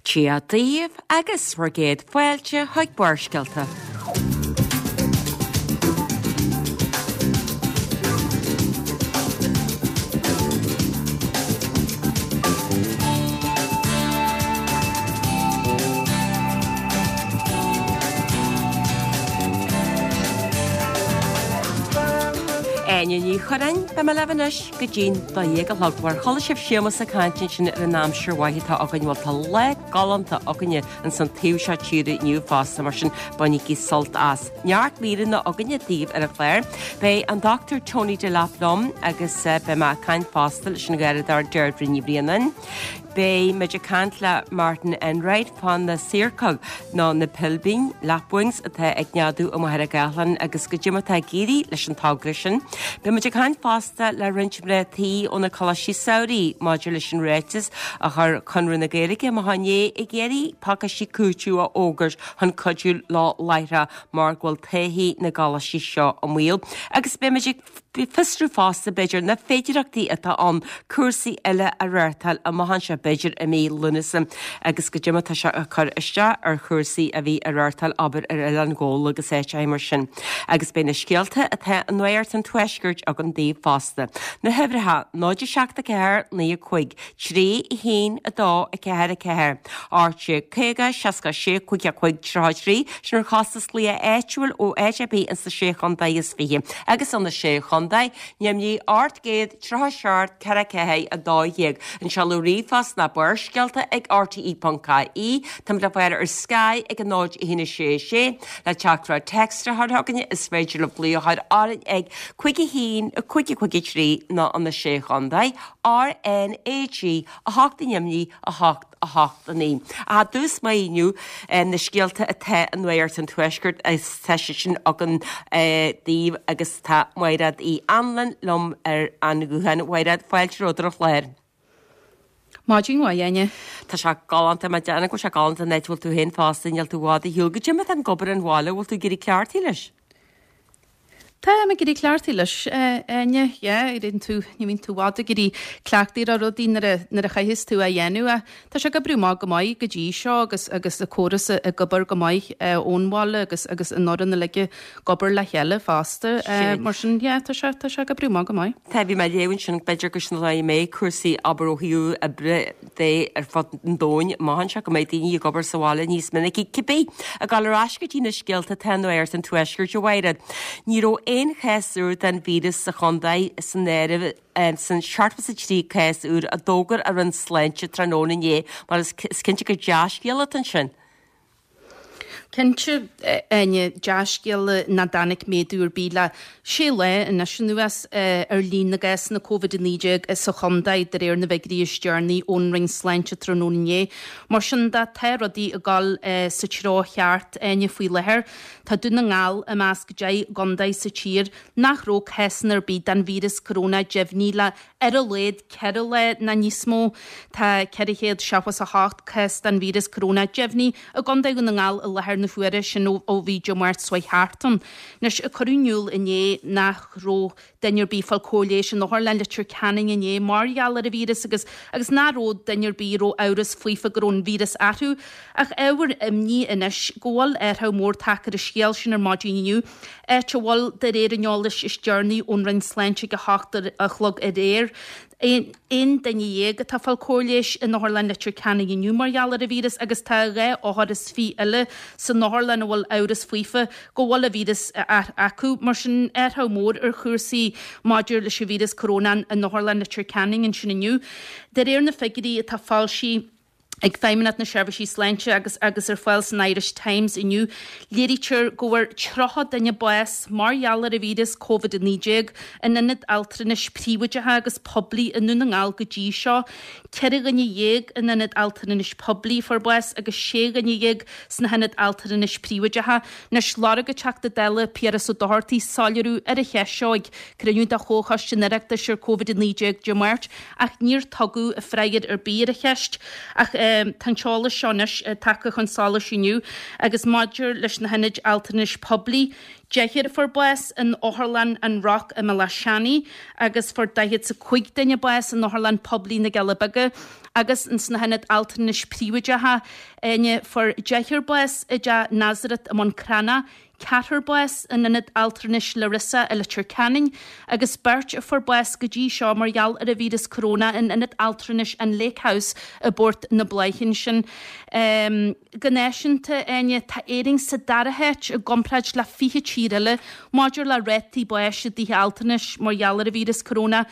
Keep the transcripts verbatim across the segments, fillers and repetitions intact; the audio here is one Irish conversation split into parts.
Dia daoibh agus bhur gcéad fáilte chuig Barrscéalta. Áine Ní Churráin, beidh mé libh anois go dtí'n dó dhéag a chlog. Mar chuala sibh Séamus ag caint ansin ar an aimsir mhaith atá againn, bhuel tá lá galánta againne ins an taobh seo tíre inniu fosta, mar sin bainigí sult as. Neart míreanna againne daoibh ar an chlár. Beidh an Dochtúir Tony Delap liom agus beidh mé ag caint fosta leis an gharradóir Deirdre Ní Bhraonáin. Beidh muid ag caint le Martin Enright fá na siorcóg nó na pilbín, lapwings, atá ag neadú i Machaire Gathlán agus goidé mar atá ag éirí leis an togra sin. Beidh muid ag caint fosta le roinnt mná tí ó na coláistí samhraidh maidir leis an ráiteas a chuir Conradh na Gaeilge amach inné ag iarraidh pacáistí cúitimh a fhógairt chun cuidiú leo láithreach mar go bhfuil todhchaí na gcoláistí seo i mbaol. Agus beidh muid ag fiosrú fosta, b'fhéidir, na féidearthachtaí atá ann cúrsaí eile a reáchtáil amach anseo, b'fhéidir i mí Lúnasa, agus goidé mar atá sé ag cur isteach ar chúrsaí a bhí á reáchtáil, abair, ar Oileán Ghabhla agus áiteacha mar sin. Agus beidh na scéalta atá i Nuacht an Tuaiscirt againn daoibh fosta. Na huimhreacha, náid a seacht a ceathair, naoi a cúig, trí a haon, a dó, a ceathair, a ceathair, ocht déag caoga, seasca a sé, cúig a cúig, tríocha a trí, sin ar chostas glaoch áitiúil ó áit ar bith ins na Sé Chontae is Fiche agus ó na Sé Chontae, ainmnigh ocht gcéad tríocha seacht ceithre ceathair a dó dhéag. An seoladh ríomhphost ná Barrscéalta ag R T E ponc I E. Táimid le fáil ar Sky ag a náid a haon a sé a sé. Le teachtaireacht téacs a chur chugainne is féidir libh glaoch a chur orainn ag cúig a haon a cúig a cúig a trí nó an na Sé Chontae, R N A G a hocht ainmnigh a hocht a hocht a naoi. I dtús maith inniu na scéalta atá i Nuacht an Tuaiscirt is tá sé sin againn daoibh agus tá Mairéad Uí Anluain liom ar an ghuthán. Mhairéad, fáilte romhat ar an chlár. Maidin mhaith, Áine. Tá sé galánta, má déanann go bhfuil sé galánta an áit a bhfuil tú féin fosta, níl tú i bhfad ar shiúl. Goidé mar atá ag obair an bhaile, bhfuil tú ag éirí cleachtaithe leis? Táim ag éirí cleachtaithe leis, Áine, yeah, éiríonn tú, ní bhíonn tú i bhfad ag éirí cleachtaithe ar rudaí nuair a, nuair a chaitheas tú a dhéanamh. Ach tá sé ag oibriú amach go maith go dtí seo agus, agus an córas ag obair go maith ón bhaile agus, agus an fhoireann uilig ag obair le chéile fosta. Mar sin, yeah, tá sé, tá sé ag oibriú amach go maith. Tá, bhí mé ag léamh ansin, b'fhéidir gur sin an dóigh a mbeidh cúrsaí, abair, ó thaobh oibre de ar fud an domhain amach anseo, go mbeidh daoine ag obair sa bhaile níos minicí. Cibé, ag dul ar ais go dtí na scéalta atá i Nuacht an Tuaiscirt, a Mhairéad. Ní raibh aon chás úr den víreas sa chontae san áireamh san seachtó is a trí cás úr a d'fhógair an Roinn Sláinte tráthnóna inné, mar is cinnte gur dea-scéala atá ansin. Cinnte, Áine, dea-scéala nach dtáinig méadú ar bith le sé lá anois anuas ar líon na gcásanna Covid a naoi déag sa chontae, de réir na bhfigiúirí is deireanaí ón Roinn Sláinte tráthnóna inné. Mar sin de, tá rudaí ag dul sa treo cheart, Áine, faoi láthair. Tá Dún na nGall i measc deich gcontae sa tír nach raibh cásanna ar bith den víreas corónach deimhnithe le ar a laghad ceithre lá nó níos mó. Tá ceithre chéad seachtó is a hocht cás den víreas corónach deimhnithe i gContae Dhún na nGall i láthair na huaire, sin ó bhí Dé Máirt seo thart ann. Anois, cuireadh in iúl inné nach raibh duine ar bith ag fáil cóir leighis in Otharlann Leitir Ceanainn inné mar gheall ar an víreas agus agus nach raibh duine ar bith a raibh amhras faofa go raibh an víreas orthu. Ach ábhar imní anois go bhfuil athrú mór tagtha ar an scéal sin ar maidin inniu, áit a bhfuil, de réir an eolais is deireanaí ón Roinn Sláinte ag a hocht a chlog aréir, aon duine dhéag atá ag fáil cóir leighis in Otharlann Leitir Ceanainn inniu mar gheall ar an víreas agus tá dhá othar is fiche eile san otharlann a bhfuil amhras faofa go bhfuil an víreas acu. Mar sin, athrú mór ar chúrsaí maidir leis an víreas corónach in Otharlann Leitir Ceanainn ansin inniu. De réir na figiúirí atá foilsithe ag Feidhmeannacht na Seirbhísí Sláinte agus agus ar fáil san Irish Times inniu, léirítear go bhfuair tríocha duine bás mar gheall ar an víreas Covid a naoi déag in ionaid altranais príobháideacha agus poiblí i nDún na nGall go dtí seo. Ceithre dhuine dhéag in ionad altranais poiblí a fuair bás agus sé dhuine dhéag sna hionaid altranais príobháideacha. Anois, lorg an Teachta Dála Piaras Ó Dochartaigh soiléiriú ar an cheist seo ag cruinniú de Chomhchoiste an Oireachtais ar Covid a naoi déag Dé Máirt ach níor tugadh freagra ar bith ar an cheist. Ach tá an t-eolas seo anois tagtha chun solais inniu agus maidir leis na hionaid altranais poiblí, deichniúr a fuair bás in Otharlann an Rock i mBealach Seanaidh agus fuair daichead 's a cúig duine bás in Otharlann Poiblí na gCealla Beaga. Agus ins na hionaid altranais príobháideacha, Áine, fuair deichniúr bás i dTeach Nazareth i mBun Cranncha, ceathrar bás in Ionad Altranais Larissa i Leitir Ceanainn agus beirt a fuair bás go dtí seo mar gheall ar an víreas coróna in Ionad Altranais an Lake House i bPort na Bláiche ansin. Go náisiúnta, Áine, tá Éirinn sa dara háit i gcomparáid le fiche tír eile maidir le rátaí báis i dtithe altranais mar gheall ar an víreas coróna.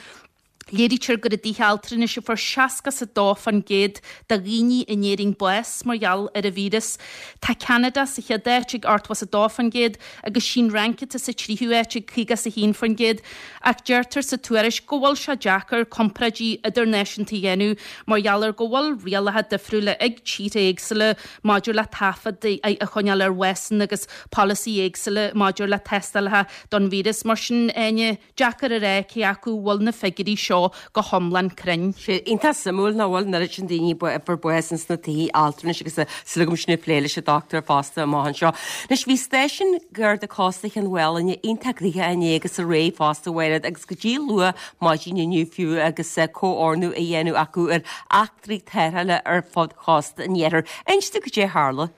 Léirítear gur i dtithe altranais a fuair seasca is a dó faoin gcéad de dhaoine in Éirinn bás mar gheall ar an víreas. Tá Ceanada sa chéad áit ag ochtó is a dó faoin gcéad agus sí'n Fhrainc atá sa tríú háit ag caoga is a haon faoin gcéad. Ach deirtear sa tuairisc go bhfuil sé deacair comparáidí idirnáisiúnta a dhéanamh mar gheall ar go bhfuil rialacha difriúla ag tíortha éagsúla maidir le taifead a choinneáil ar bhásanna agus polasaí éagsúla maidir le tástálacha don víreas. Mar sin, Áine, deacair a rá cé acu bhfuil na figiúirí seo go hiomlán cruinn. Sé iontach suimiúil nach bhfuil an oiread sin daoine a fuair bás ins na tithe altranais agus súil agam sin ag plé leis an dochtúir fosta amach anseo. Anois bhí stáisiún Garda Cósta Chionn Mhálanna iontach gnoitheach inné agus aréir fosta a Mhairéad agus go dtí luath maidin inniu fiú agus comhordú á dhéanamh acu ar eachtraí tarrthála ar fud chósta an iarthair. Inis dúinn cad é a tharla.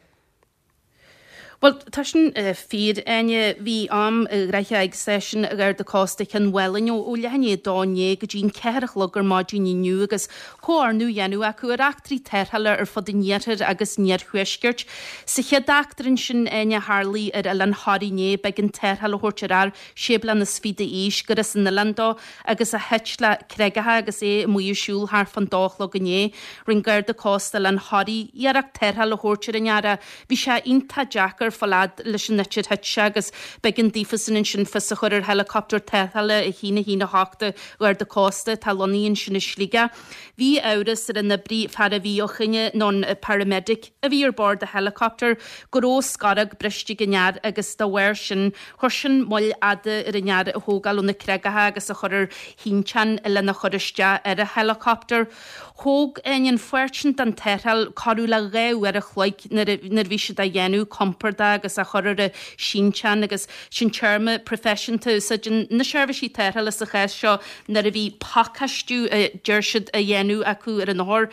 Bhuel, tá sin fíor, Áine. Bhí am gnoitheach ag Stáisiún Gharda Cósta Chionn Mhálanna ó leath i ndiaidh a dó inné go dtí an ceathair a chlog ar maidin inniu agus comhordú á dhéanamh acu ar eachtraí tarrthála ar fud an iarthair agus an iarthuaiscirt. Sa chéad eachtra ansin, Áine, a tharlaigh ar Oileán Thoraí inné, b'éigean tarrtháil a thabhairt ar fhear sé bliana is fiche d'aois gur as an oileán dó agus a thit le creagacha agus é amuigh ag siúl thart fán dó a chlog inné. Rinne Garda Cósta Oileán Thoraí iarracht tarrtháil a thabhairt ar an fhear ach bhí sé iontach deacair fáil fhad leis an áit ar thit sé agus b'éigean daofasan ansin fios a chur ar heileacoptar tarrthála a haon a haon a hocht an Gharda Cósta atá lonnaithe ansin i Sligeach. Bhí amhras ar an oibrí fear a bhí ó choinne nó an paramedic a bhí ar bord an heileacoptair go raibh scorach briste ag an fhear agus dá bharr sin chuir sin moill fhada ar an fhear a thógáil ó na creagacha agus a chur ar shínteán lena chur isteach ar an heileacoptar. Thóg an pháirt sin den tarrtháil corradh le dhá uair a chloig nuair a bhí siad á dhéanamh compordach agus á chur ar an sínteán agus sin téarma proifisiúnta a úsáideann na seirbhísí tarrthála sa chás seo nuair a bhí pacáistiú a deir siad a dhéanamh acu ar an othar,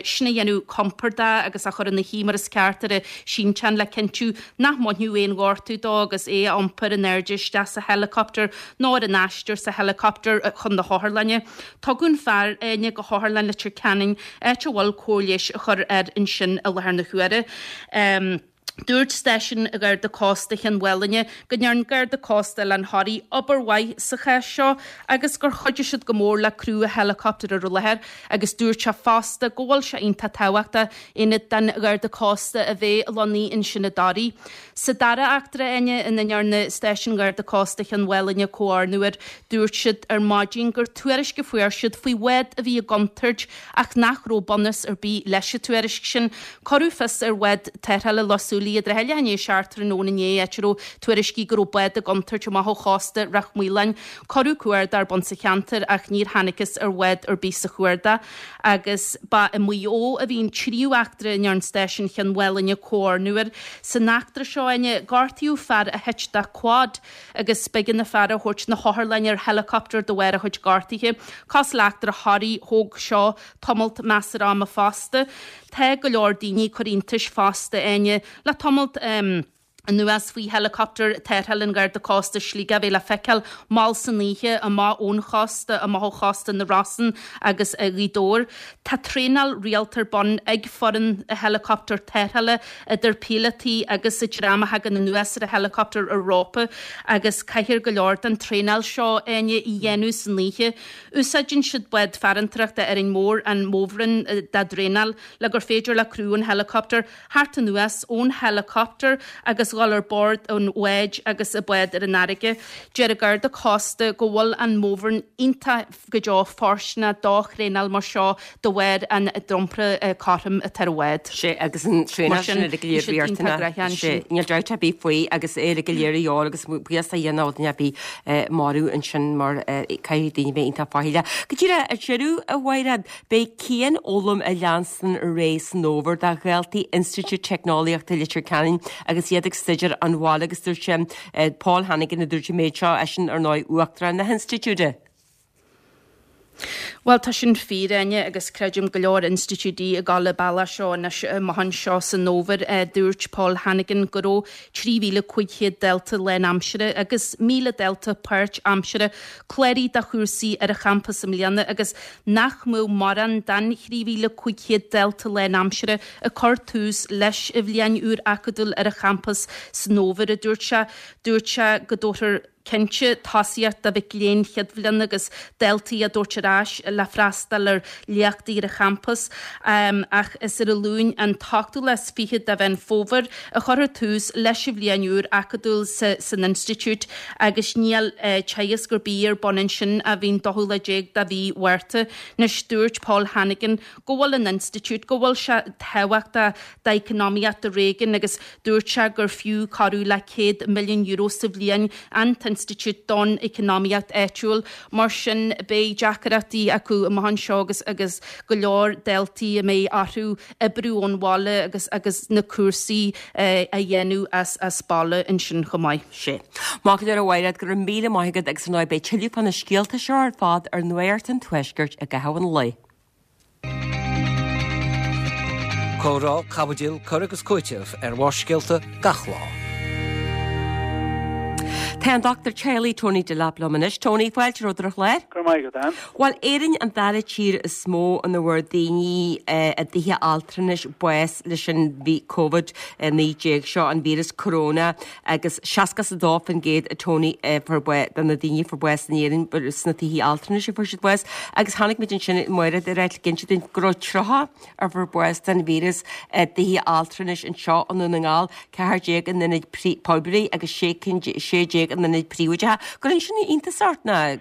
sin a dhéanamh compordach agus á chur ina shuí mar is ceart ar an sínteán le cinntiú nach mbainfeadh aon ghortú dó agus é a iompar in airde isteach sa heileacoptar nó ar an aistear sa heileacoptar chun na hotharlainne. Tugadh an fear, Áine, go hOtharlann Leitir Ceanainn, áit a bhfuil cóir leighis á chur air ansin i láthair na huaire. Dúirt Stáisiún Gharda Cósta Chionn Mhálanna go ndearna Garda Cósta Oileán Thoraí obair mhaith sa chás seo agus gur chuidigh siad go mór le criú an heileacoptair ar an láthair agus dúirt sé fosta go bhfuil sé iontach tábhachtach aonad den Gharda Cósta a bheith lonnaithe ansin i dToraigh. Sa dara eachtra, Áine, ina ndearna Stáisiún Gharda Cósta Chionn Mhálanna comhordú air, dúirt siad ar maidin gur tuairisc a fuair siad faoi bhád a bhí i gcontúirt ach nach raibh bunús ar bith leis an tuairisc sin. Cuireadh fios ar bhád tarrthála Loch Súilí i dtrátha leath i ndiaidh a seacht tráthnóna inné, áit a raibh tuairiscí go raibh bád i gcontúirt amach ó chósta Ráth Maoláin. Cuireadh cuardach ar bun sa cheantar ach níor thángthas ar bhád ar bith sa chuardach agus ba i Maigh Eo a bhí an tríú eachtra a ndearna Stáisiún Chionn Mhálanna comhordú air. San eachtra seo, Áine, gortaíodh fear a thit de quad agus b'éigean an fear a thabhairt na hotharlainne ar helicopter de bharr a chuid gortuithe. Cosúil le eachtra Thoraí, thóg seo tamalt measartha ama fosta. Tá go leor daoine ag cur iontais fosta, Áine, le tamalt anuas faoi heileacoptar tarrthála an Gharda Cósta Sligeach a bheith le feiceáil mall san oíche amach ón chósta, amach ó chósta na Rosann agus Ghaoth Dobhair. Tá traenáil rialta ar bun ag foireann heileacoptar tarrthála, idir píolótaí agus an dream a thagann anuas ar an heileacoptar ar rópa agus caithfear go leor den traenáil seo, Áine, a dhéanamh san oíche. Úsáideann siad bád farantóireachta Árainn Mhór, an Morvern, dá dtraenáil le gur féidir le criú an heileacoptair theacht anuas ón heileacoptar agus dhul ar bord an bháid agus an bád ar an fharraige. Deir an Garda Cósta go bhfuil an Morvern iontach go deo fóirsteanach do thraenáil mar seo de bharr an dromchla cothrom atá ar an bhád. Sea, agus an traenáil sin uilig go léir riachtanach. Sea, níl dabht ar bith faoi agus é uilig go léir a dhíobháil agus buíochas a dhéanamh ó dhuine ar bith marbh ansin mar caithfidh daoine bheith iontach faichilleach. Go díreach ar deireadh, a Mhairéad, beidh cianfhoghlaim ag leanstan ar aghaidh san fhómhar do dhaltaí Institiúid Teicneolaíochta Leitir Ceanainn agus iad ag staidéar ón bhaile agus dúirt sé Paul Hannigan a dúirt an méid seo, eisean ar ndóigh Uachtarán na hInstitiúide. Bhuel, tá sin fíor, Áine, agus creidim go leor institiúidí ag dul an bealach seo anois amach anseo san fhómhar. Dúirt Paul Hannigan go raibh trí mhíle cúig chéad dalta lánaimsire agus míle dalta páirtaimsire cláraithe do chúrsaí ar an champas i mbliana agus nach mbeadh mórán den thrí mhíle cúig chéad dalta lánaimsire ag cur tús leis an bhliain úr acadúil ar an champas san fhómhar, a dúirt sé. Dúirt sé go dtabharfar cinnte tosaíocht do mhic léinn chéad bhliana agus daltaí a dtabhairt ar ais le freastal ar léachtaí ar an champas, ach is ar an Luan an t-ochtú lá is fiche de Mheán Fómhair a chuirfear tús leis an bhliain úr acadúil san institiúid agus níl teagasc ar bith ar bun ansin ó bhí an dóú lá déag de mhí Mhárta. Anois dúirt Paul Hannigan go bhfuil an institiúid, go bhfuil sé tábhachtach d'eacnamaíocht an réigiúin agus dúirt sé gur fiú corradh le céad milliún euro sa bhliain an t-institiúid don eacnamaíocht áitiúil. Mar sin beidh deacrachtaí acu amach anseo agus agus go leor daltaí a mbeidh orthu oibriú ón bhaile agus agus na cúrsaí a dhéanamh as as baile ansin chomh maith. Sé. Maith go leor a Mhairéad, go raibh míle maith agat agus ar ndóigh beidh tuilleadh fá na scéalta seo ar fad ar Nuacht an Tuaiscirt i gcaitheamh an lae. Comhrá, caibidil, cur agus cúiteamh ar Bharrscéalta gach lá. Tá an dochtúir teaghlaigh Tony Delap liom anois. Tony, fáilte romhat ar an chlár. Go raibh maith agat, Ann. Bhuel, Éirinn an dara tír is mó ina bhfuair daoine i dtithe altranais bás leis an Covid a naoi déag seo, an víreas corona, agus seasca is a dó faoin gcéad a Tony fuair bás, de na daoine a fuair bás in Éirinn sna tithe altranais a fuair siad bás. Agus chonaic muid ansin Mairéad ag ráit ag inse dúinn go raibh tríocha a fuair bás den víreas i dtithe altranais anseo i nDún na nGall, ceathair déag in ionaid poiblí agus sé cinn sé déag in ionaid príobháideacha. Cuireann sin iontas ort ná?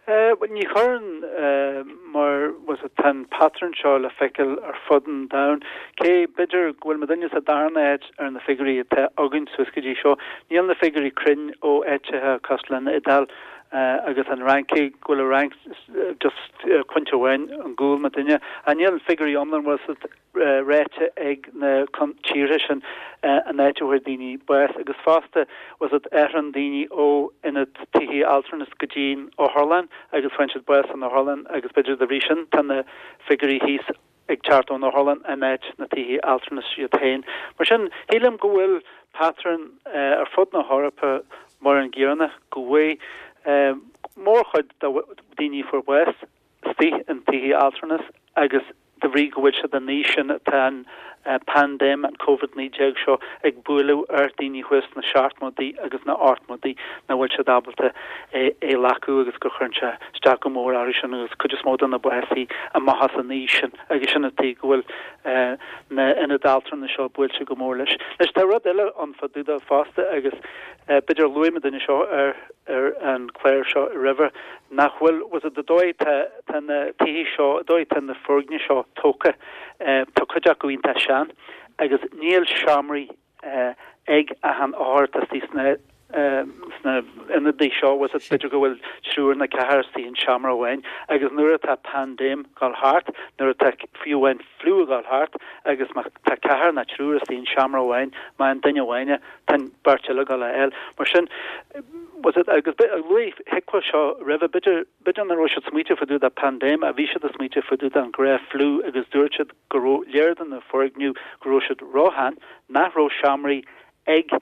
Bhuel, ní chuireann, mar bhfuil fhios agat, tá an patrún seo le feiceáil ar fud an domhain. Cé, b'fhéidir, go bhfuil muidinne sa darna háit ar na figiúirí atá againn suas go dtí seo, níl na figiúirí cruinn ó áiteacha cosúil leis an Iodáil agus an Fhrainc, cé go bhfuil an Fhrainc just pointe amháin ar gcúl muidinne. Ach níl figiúirí iomlán, bhfuil fhios agat, ráite ag na tíortha sin an áit a bhfuair daoine bás agus fosta bhfuil fhios agat, athraíonn daoine ó ionad tithe altranais go dtí'n otharlann agus faigheann siad bás san otharlann agus b'fhéidir dá bhrí sin tá na figiúirí thíos ag teacht ón otharlann in áit na tithe altranais iad féin. Mar sin, shílim go bhfuil patrún ar fud na hEorpa mar an gcéanna, go bhfuil mórchuid de daoine a fuair bás istigh in tithe altranais agus de bhrí go bhfuil siad in aois sin tá an paindéim, an Covid naoi déag seo ag bualadh ar daoine thuas sna seachtmóidí agus na hochtmóidí nach bhfuil siad ábalta é a ghlacadh agus go chuireann sé isteach go mór orthu sin agus cuid is mó de na básaí amach as an aois sin agus sin an tuige go bhfuil na ionaid altranais seo buailte go mór leis. Anois tá rud eile ann fá dtaobh de fosta agus b'fhéidir luaigh muidinne seo ar ar an chlár seo roimhe, nach bhfuil, bhfuil fhios agat, an dóigh tá tá na tithe seo, an dóigh tá na foirgnimh seo tógtha, tá cuid acu iontach sean agus níl seomraí ag achan othar atá istigh sna sna ionadaí seo, bhfuil fhios agat, b'fhéidir go bhfuil triúr nó ceathrar istigh in seomra amháin agus nuair atá paindéim ag dul thart, nuair atá fiú amháin fliú ag dul thart agus má tá ceathrar nó triúr istigh in seomra amháin, má fhaigheann duine amháin é, tá an bheirt eile ag dul a fháil. Mar sin, bhfuil fhios agat, agus luaigh HIQA seo roimhe, b'fhéidir, b'fhéidir nach raibh siad smaoiteamh fá dtaobh de paindéim ach bhí siad ag smaoiteamh fá dtaobh den ghnáth-fhliú agus dúirt siad go raibh léir do na foirgnimh go raibh siad róshean, nach raibh seomraí ag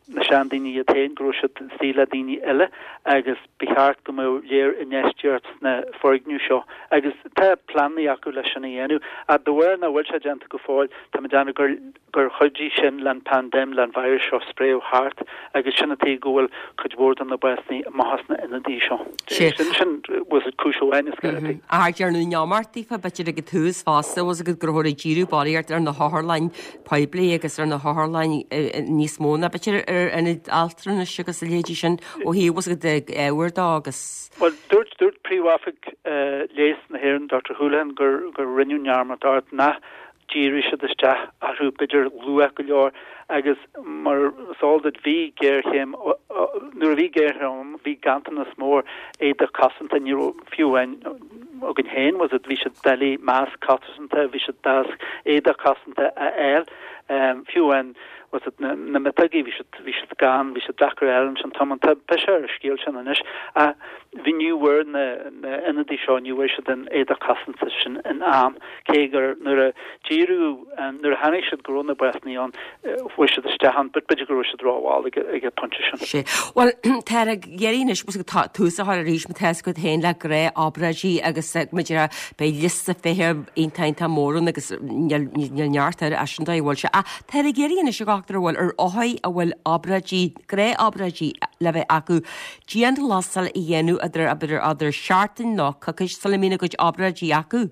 na seandaoine iad féin, go raibh siad istigh le daoine eile agus ba cheart go mbeadh léir infheistíocht sna foirgnimh seo agus tá pleananna acu leis sin a dhéanamh. Ach de bharr nach bhfuil sé déanta go fóill, tá mé ag déanamh gur gur chuidigh sin le an paindéim, le an virus seo spréadh thart agus sin an tuige go bhfuil cuid mhór de na básanna amach as na ionadaí seo. Sin sin bhfuil fhios agat cúis amháin is gairid. Ach déarfainn neamart daofa b'fhéidir ag an tús fosta, bhfuil fhios agat go rabhthar ag díriú barraíocht ar na hotharlainn poiblí agus ar na hotharlainn níos mó ná b'fhéidir ar ionaid altranais agus a leithéidí sin ó thaobh bhfuil fhios agat ábhair dó agus. Bhuel, dúirt dúirt Príomh-Oifig Leighis na hÉireann, Doctor Houlihan, gur gur rinneadh neamart ort nach dhírigh siad isteach orthu b'fhéidir luath go leor agus mar is eol duit bhí géarchéim nuair a bhí géarchéim bhí ganntanas mór éadach cosanta ní raibh fiú amháin againn féin bhfuil fhios agat bhí sé doiligh masc cosanta bhí sé deas éadach cosanta a fháil fiú amháin bhfuil a fhios agat, na na miotógaí, bhí siad bhí siad gann, bhí siad deacair a fháil ansin, tá an tá biseach ar an scéal sin anois ach bhí ní bhfuair na na ionadaí seo, ní bhfuair siad an éadach cosanta sin in am, cé gur nuair a díriú nuair a chonaic siad go raibh na básanna ann, chuaigh siad isteach ann, but b'fhéidir go raibh siad rómhall ag ag an bpointe sin. Sea. Bhuel, tá ag iarraidh anois, bhfuil a fhios agat, tá tús á chur arís, má tá a fhios agat féin le gnáthobráidí agus muid beidh liosta feithimh iontach iontach mór ann agus níl níl neart air as sin dóigh a bhfuil sé. Ach tá ag iarraidh anois a dhochtúir a bhfuil ar othair a bhfuil obráidí, gnáthobráidí le bheith acu, dianghlasáil a dhéanamh idir idir idir seachtain nó coicís sula mbíonn a gcuid obráidí acu.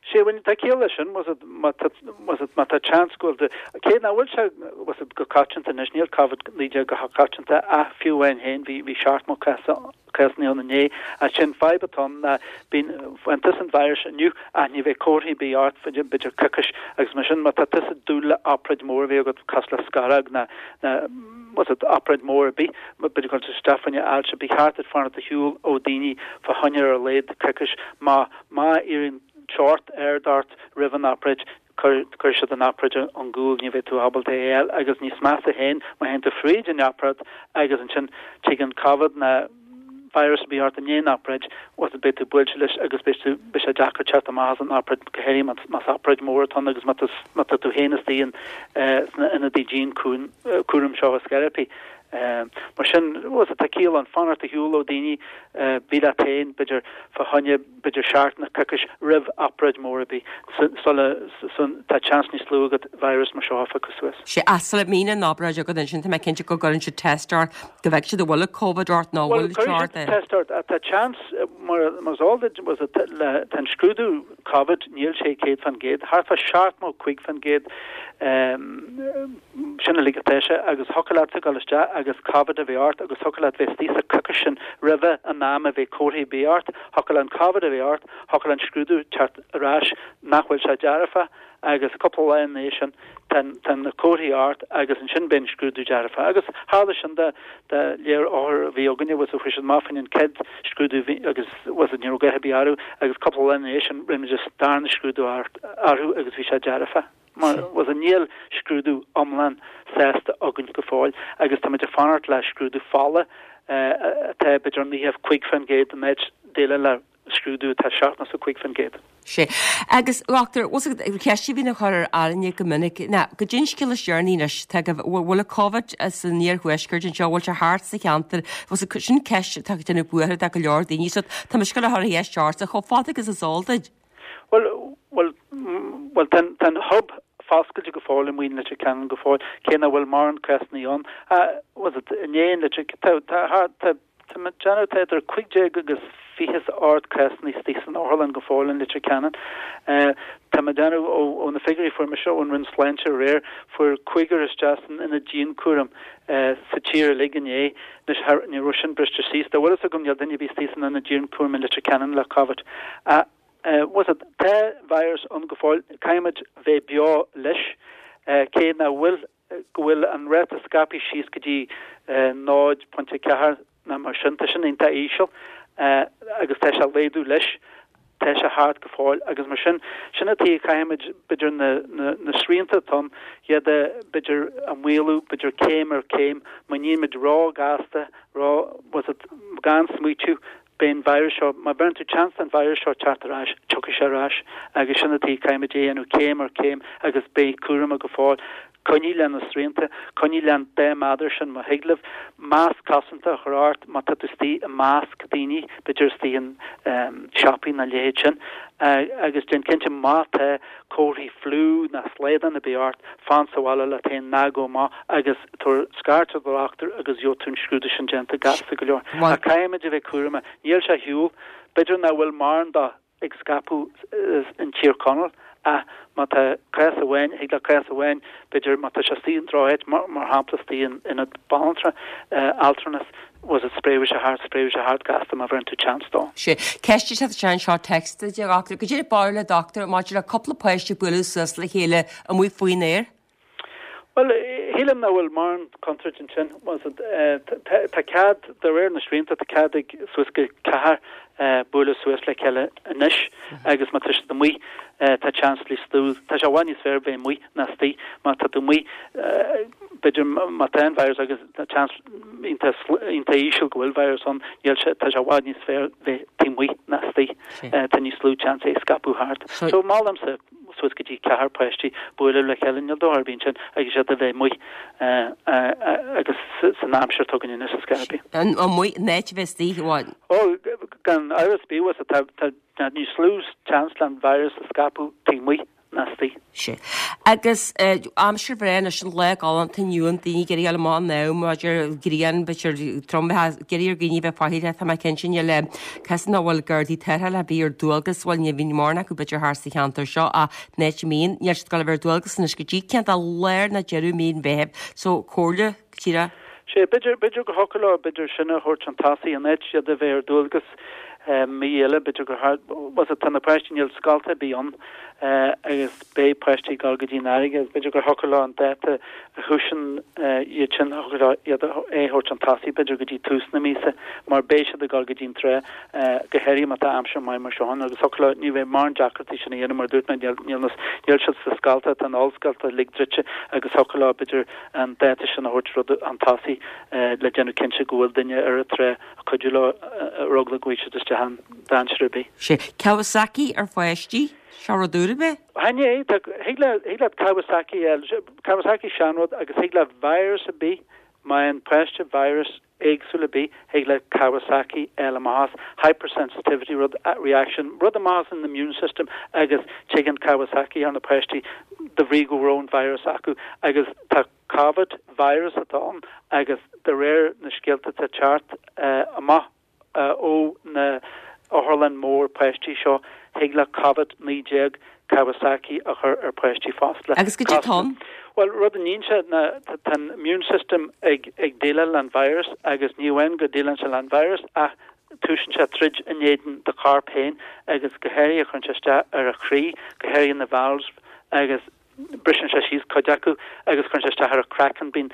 Sea, bhuel, tá ciall leis sin, bhfuil a fhios agat, má tá, bhfuil a fhios agat, má tá seans go bhfuil de, cé nach bhfuil sé, bhfuil a fhios agat, go coitianta anois, níl Covid naoi déag go coitianta ach fiú amháin féin, bhí, bhí seachtó cás, cásanna ann inné, ach sin fadhb atá ann ná bíonn, faigheann tusa an virus inniu ach ní bheidh comharthaí ar bith ort, b'fhéidir coicís agus mar sin má tá tusa ag dúil le obráid mór a bheith agat cosúil le scaróg ná, ná, bhfuil a fhios agat, obráid mór ar bith, b'fhéidir go bhfuil isteach fá choinne ailse, ba cheart duit fanacht ar shiúl ó daoine fá choinne ar a laghad coicís má, má éiríonn teocht ard ort roimh an obráid, cuirfidh siad an obráid ón gcúl, ní bheidh tú ábalta é a fháil agus níos measa féin má théann tú fríd an obráid agus ansin tig an Covid ná virus ar bith ort i ndiaidh an obráid, bhfuil a fhios agat, beidh tú buailte leis agus beidh tú, beidh sé deacair teacht amach as an obráid, go háirithe más obráid mór atá ann agus má tá, má tá tú féin istigh in, sna ionadaí dianchúraim seo is teiripí. Mar sin, bhfuil a fhios agat, tá ciall ann fanacht ar shiúl ó daoine, bí leat féin, b'fhéidir, fá choinne, b'fhéidir seachtain nó coicís roimh obráid mór ar bith, sula, tá seans níos lú agat virus mar seo a phiocadh suas. Sea, ach sula mbíonn an obráid agat ansin, tá mé cinnte go gcuireann siad test ort, go bhfeicfidh siad an bhfuil Covid ort nó an bhfuil Bhuel, cuirfidh siad test ort, ach tá seans, mar, mar is eol duit, bhfuil a fhios agat, le, tá an scrúdú Covid, níl sé céad fan gcéad, thart fá seachtó cúig fan gcéad, Sin uilig atá sé agus thiocfadh leatsa dul isteach agus Covid a bheith ort agus thiocfadh leat bheith istigh sa choicís sin roimhe an am a bheidh comharthaí ar bith ort, thiocfadh le an Covid a bheith ort, thiocfadh le an scrúdú teacht ar ais nach bhfuil sé dearfa agus cúpla lá ina dhiaidh sin tá tá na comharthaí ort agus ansin beidh an scrúdú dearfa. Agus tharla sin do do lear othar a bhí againne bhfuil a fhios agat chuaigh siad amach fá choinne an chéad scrúdú agus bhfuil a fhios agat ní raibh a dhath ar bith orthu agus cúpla lá ina dhiaidh sin rinne muid an darna scrúdú orthu agus bhí sé dearfa. Mar bhfuil a fhios agat níl scrúdú iomlán sásta againn go fóill agus táimid ag fanacht le scrúdú fola atá b'fhéidir naocha cúig faoin gcéad in áit déileáil le scrúdú atá seachtó cúig faoin gcéad. Sea. Agus, a dhochtúir, bhfuil a fhios agat, ceist a bhíonn á chur ar Áine go minic ná, goidé an scéal is deireanaí anois, tá go, bhfuil an Covid san iarthuaisceart anseo, bhfuil sé thart sa cheantar, bhfuil a fhios agat, sin ceist atá ag déanamh buartha do go leor daoine, so tá mise ag gabháil a chur an cheist ortsa chomh fada agus is eol duit. Bhuel, bhuel, bhuel, tá an, tá an hub foscailte go fóill amuigh in Leitir Ceanainn go fóill, cé nach bhfuil mórán cásanna ann. Ah, bhfuil a fhios agat, inné in Leitir, tá, tá, tá, tá mé ag déanamh, tá idir cúig déag agus fiche is ard cásanna istigh san otharlann go fóill in Leitir Ceanainn. Eh, tá mé ag déanamh ó, ó na figiúirí a fuair mise ón Roinn Sláinte aréir, fuair cúigear isteach san ionad dianchúraim eh, sa tír uilig inné. Anois, thar, ní raibh sin briste síos. Dá bhfuil fhios agam níl duine ar bith istigh san ionad dianchúraim in Leitir Ceanainn le Covid. Ah, Bhfuil a fhios agat, tá virus ann go fóill, caithfimid bheith beo leis, cé nach bhfuil, go bhfuil an ráta scaipthe síos go dtí náid pointe ceathair nó mar sin, tá sin iontach íseal agus tá sé ag laghdú leis, tá sé thart go fóill agus mar sin, sin an tuige caithfimid b'fhéidir na, na, na srianta atá ann, iad a, b'fhéidir a mhaolú, b'fhéidir céim ar chéim, má nímid ró-ghasta, ró, bhfuil a fhios agat, gan smaoitiú, Beidh an virus seo, má bheireann tú chance don virus seo teacht ar ais, tiocfaidh sé ar ais agus sin an tuige caithfimid é a dhéanamh céim ar chéim agus beidh cúramach go fóill. Coinnigh le na srianta, coinnigh le an dá méadar sin má thig libh, masc cosanta a chur ort má tá tú istigh i measc daoine, b'fhéidir istigh in siopaí nó a leithéid sin agus déan cinnte má tá comharthaí fliú ná slaghdán ar bith ort, fan sa bhaile leat féin, ná gabh amach agus tabhair scairt ar do dhochtúir agus gheobhaidh tú an scrúdú sin déanta gasta go leor. Ach caithfimid a bheith cúramach. Níl sé ar shiúl. B'fhéidir nach bhfuil mórán dó ag scaipeadh in Tír Chonaill ach má tá cás amháin, thig le cás amháin, b'fhéidir má tá sé istigh in droch-áit, mar shampla istigh in ionad banaltra, altranais, bhfuil a fhios agat, spréifidh sé thart, spréifidh sé thart gasta má bheireann tú chance dó. Sea. Ceist atá anseo text a dhochtúir. Goidé an barúil an dochtúir maidir le cúpla páiste bualadh suas le chéile amuigh faoin aer? Bhuel, Shílim nach bhfuil mórán contúirt ansin. Tá cead, de réir na srianta, tá cead ag suas go ceathrar bualadh suas le chéile anois agus má tá siad amuigh tá seans níos lú, tá sé i bhfad níos fearr bheith amuigh ná istigh. Má tá tú amuigh, b'fhéidir má tá an virus agus tá seans iontach íseal go bhfuil virus ann, níl sé, tá sé i bhfad níos fearr bheith taobh amuigh ná istigh. Tá níos lú seans é a scaipeadh thart. So molaimse suas go dtí ceathrar páistí bualadh le chéile, níl dochar ar bith ansin agus iad a bheith amuigh agus san aimsir atá againn anois is scaipthe. Amuigh, in áit a bheith istigh, bhuel. Ó, gan amhras ar bith, bhuel, tá níos lú seans le an virus a scaipeadh taobh amuigh ná istigh. Sea. Agus aimsir bhreá anois, an lá galánta inniu, an daoine ag iarraidh a ghabháil amach in am, maidir grian, b'fhéidir trom, ag iarraidh ar dhaoine bheith faichilleach, tá mé cinnte, níl cás nach bhfuil gardaí tarrthála ar bith ar dualgas, bhuel ní bhíonn mórán acu b'fhéidir thart sa cheantar seo ach in áit a mbíonn, níl siad ag gabháil a bheith ar dualgas anois go dtí cineál lár nó deireadh mí an Mheithimh, so comhairle, díreach. Sea, b'fhéidir, b'fhéidir go thiocfadh leo, b'fhéidir sin a thabhairt chun tosaigh, in áit iad a bheith ar dualgas mí eile, b'fhéidir gur thart, bhuel tá na páistí, níl scolta ar bith ann agus beidh páistí ag dul go dtí an fharraige agus b'fhéidir gur thiocfadh leo an dáta a thúiseann iad sin, thiocfadh leo iad a, é a thabhairt chun tosaigh b'fhéidir go dtí tús na míosa mar beidh siad ag dul go dtí an trá go háirithe má tá aimsir maith mar seo ann agus thiocfadh leo, ní bheidh mórán deacrachtaí sin a dhéanamh mar a dúirt mé, níl, níl na, níl siad sna scolta, tá na hollscolta uilig druidte agus thiocfadh leo b'fhéidir an dáta sin a thabhairt rud chun tosaigh le déanamh cinnte go bhfuil duine ar an trá ag cuidiú leo ar eagla go bhfaighidh siad isteach an dainséar ar bith. Sea. Kawasaki ar pháistí, seo rud úr ab ea? Chan é, tá, thig le, thig leat Kawasaki a fháil, Kawasaki seanrud agus thig le virus ar bith, má fhaigheann páiste virus éagsúil ar bith, thig le Kawasaki a fháil amach as, hypersensitivity rud, reaction, rud amach as an immune system agus tigeann Kawasaki ar na páistí de bhrí go raibh an virus acu agus tá Covid virus atá ann agus de réir na scéalta atá ag teacht amach ó na otharlann mór páistí seo, thig le Covid naoi déag Kawasaki a chur ar páistí fosta. Agus goidé atá ann? Bhuel, rud a níonn sé ná tá an immune system ag ag déileáil le an virus agus ní amháin go déileann sé le an virus ach túiseann sé troid in éadan do chorp féin agus go háirithe cuireann sé isteach ar a chroí, go háirithe na valves agus briseann sé síos cuid acu agus cuireann sé isteach ar an craiceann, bíonn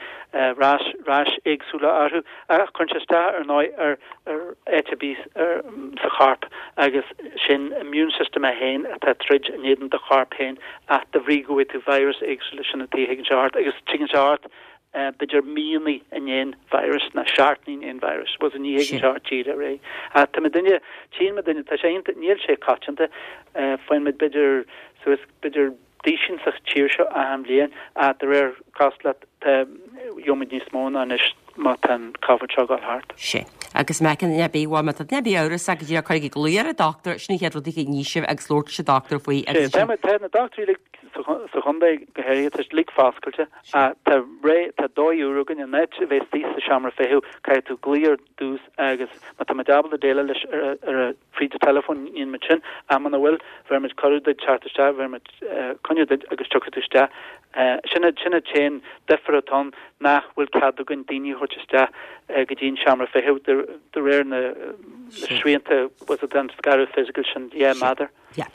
rash, rash éagsúla orthu ach cuireann sé isteach ar ndóigh ar ar áit ar bith sa chorp agus sin immune system é féin atá ag troid in éadan do chorp féin ach de bhrí go bhfaighidh tú virus éagsúla sin an tuige a thigeann sé ort agus tigeann sé ort b'fhéidir míonna i ndiaidh an virus nó seachtainí i ndiaidh an virus bhuel ní thigeann sé ort díreach ar aghaidh. Ach tá muidinne, tchíonn muidinne, tá sé iontach, níl sé coitianta, faigheann muid b'fhéidir suas b'fhéidir duisín sa tír seo achan bhliain ach de réir cosúlacht tá gheobhaimid níos mó ná anois má tá an Covid seo ag dul thart. Sea. Agus má tá duine ar bith, bhuel, má tá duine ar bith amhrasach go díreach cuirigí glao ar an dochtúir, sin an chéad rud a ní sibh agus labhairt leis an dochtúir faoi agus Sea, tá na dochtúirí uilig sa chontae go háirithe, tá siad uilig foscailte ach tá ré, tá dóigh úr againn, in áit a bheith istigh sa seomra feithimh caithfidh tú glaoch ar dtús agus má tá muid ábalta déileáil leis ar a fríd an teileafón níonn muid sin ach muna bhfuil bheir muid cuireadh duit teacht isteach bheir muid coinne duit agus tiocfaidh tú isteach. Sin an sin an t-aon difear atá ann nach bhfuil cead againn daoine a thabhairt isteach go dtí an seomra feithimh de de réir na srianta was it an scaradh fisiciúil sin dhá méadar. Yeah.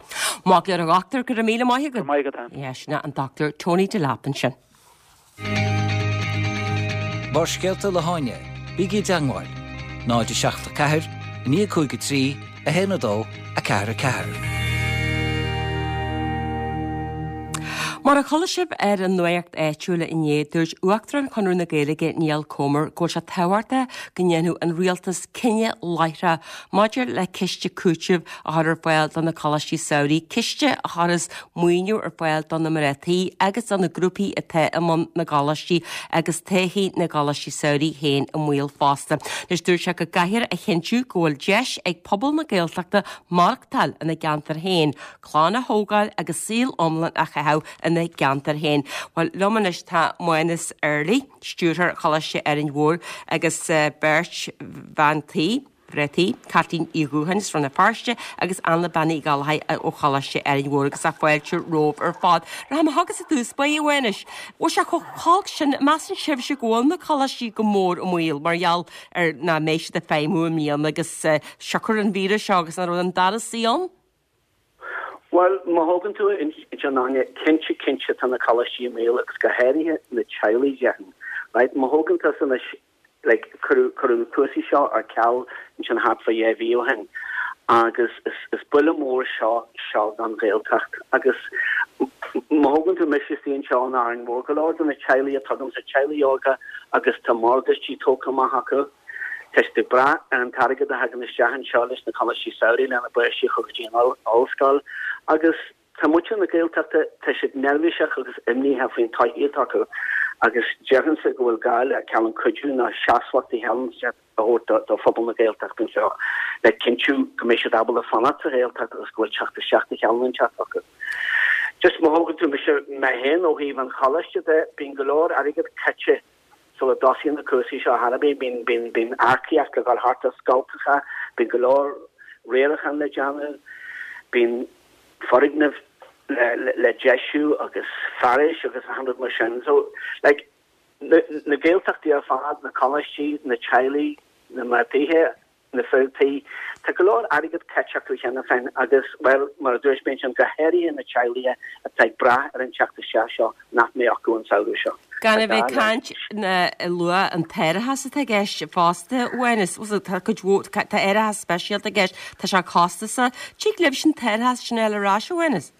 Maith go leor a dhochtúir, go raibh míle maith agat. Go raibh maith agat Ann. Yeah, sin an Dochtúir Tony Delap ansin. Barrscéalta le hÁine, bígí i dteagmháil, náid a seacht a ceathair, a naoi cúig a trí, a haon a dó, a ceathair a ceathair. Mar a chuala sibh ar an nuacht áitiúil inné, dúirt Uachtarán Chonradh na Gaeilge Niall Comer go bhfuil sé tábhachtach go ndéanfadh an rialtas cinneadh láithreach maidir le ciste cúitimh a chur ar fáil do na coláistí samhraidh, ciste a chuirfeas maoiniú ar fáil do na mná tí agus do na grúpaí atá i mbun na gcoláistí agus todhchaí na gcoláistí samhraidh féin i mbaol fosta. Anois dúirt sé go gcaithfear a chinntiú go bhfuil deis ag pobal na Gaeltachta maireachtáil ina gceantar féin, clann a thógáil agus saol iomlán a chaitheamh ina gceantar féin. Bhuel, liom anois tá Mánas Early, stiúrthóir Choláiste Árainn Mhór agus beirt bhean tí, mná tí, Caitlín Uí Dhúcháin as Rann na Feirste agus Anna Bean Uí Ghallchóir ó Choláiste Árainn Mhór agus tá fáilte romhaibh ar fad. Rachaidh mé chugatsa i dtús báire, a Mhánais. Bhfuil sé chomh holc sin, measann sibhse go bhfuil na coláistí go mór i mbaol mar gheall ar nach mbeidh siad ag feidhmiú i mbliana agus siocair an víreas seo agus nach raibh an dara suí ann? Bhuel, má thógann tú ansin Áine, cinnte cinnte tá na coláistí i mbaol agus go háirithe na teaghlaigh déarfainn. Right, má thógann tusa anois, like, cuireadh cuireadh na cúrsaí seo ar ceal ansin thart fá dhá mhí ó shin agus is is buille mór seo seo don Ghaeltacht agus má thógann tú mise istigh anseo in Árainn Mhór, go leor de na teaghlaigh atá agamsa, teaghlaigh óga agus tá morgáistí tógtha amach acu, Tá siad ag brath ar an t-airgead a thagann isteach anseo leis na coláistí samhraidh lena bpáistí a chur go dtí an ollscoil agus tá muintir na Gaeltachta, tá siad neirbhíseach agus imníoch faoin todhchaí atá acu agus déarfainnse go bhfuil gá le cineál cuidiú nó seasmhacht a thabhairt do phobal na Gaeltachta anseo le cinntiú go mbeidh siad ábalta fanacht sa Ghaeltacht agus go bhfuil teacht isteach de chineál inteacht acu. Just má thógann tú mise mé féin ó thaobh an choláiste de, bíonn go leor airgead caite Sula dtosaíonn na cúrsaí seo thar a bith, bíonn, bíonn, bíonn earcaíocht le dhul thart ar scoltacha, bíonn go leor riaracháin le déanamh, bíonn foirgnimh le, le, le deisiú agus fearais agus achan rud mar sin. So, like, na, na Gaeltachtaí ar fad, na coláistí, na teaghlaigh, na mná tithe, na fir tí. Tá go leor airgead caite acu cheana féin agus, bhuel, mar a dúirt mé ansin, go háirithe na teaghlaigh atá ag brath ar an teacht isteach seo nach mbeidh acu an samhradh seo. Gan a bheith ag caint ná ag lua an t-árachas atá i gceist fosta, Mhánas, tá cuid mhór, tá árachas speisialta i gceist, tá sé costasach. Tig libhse an t-árachas sin a fháil ar ais, a Mhánas?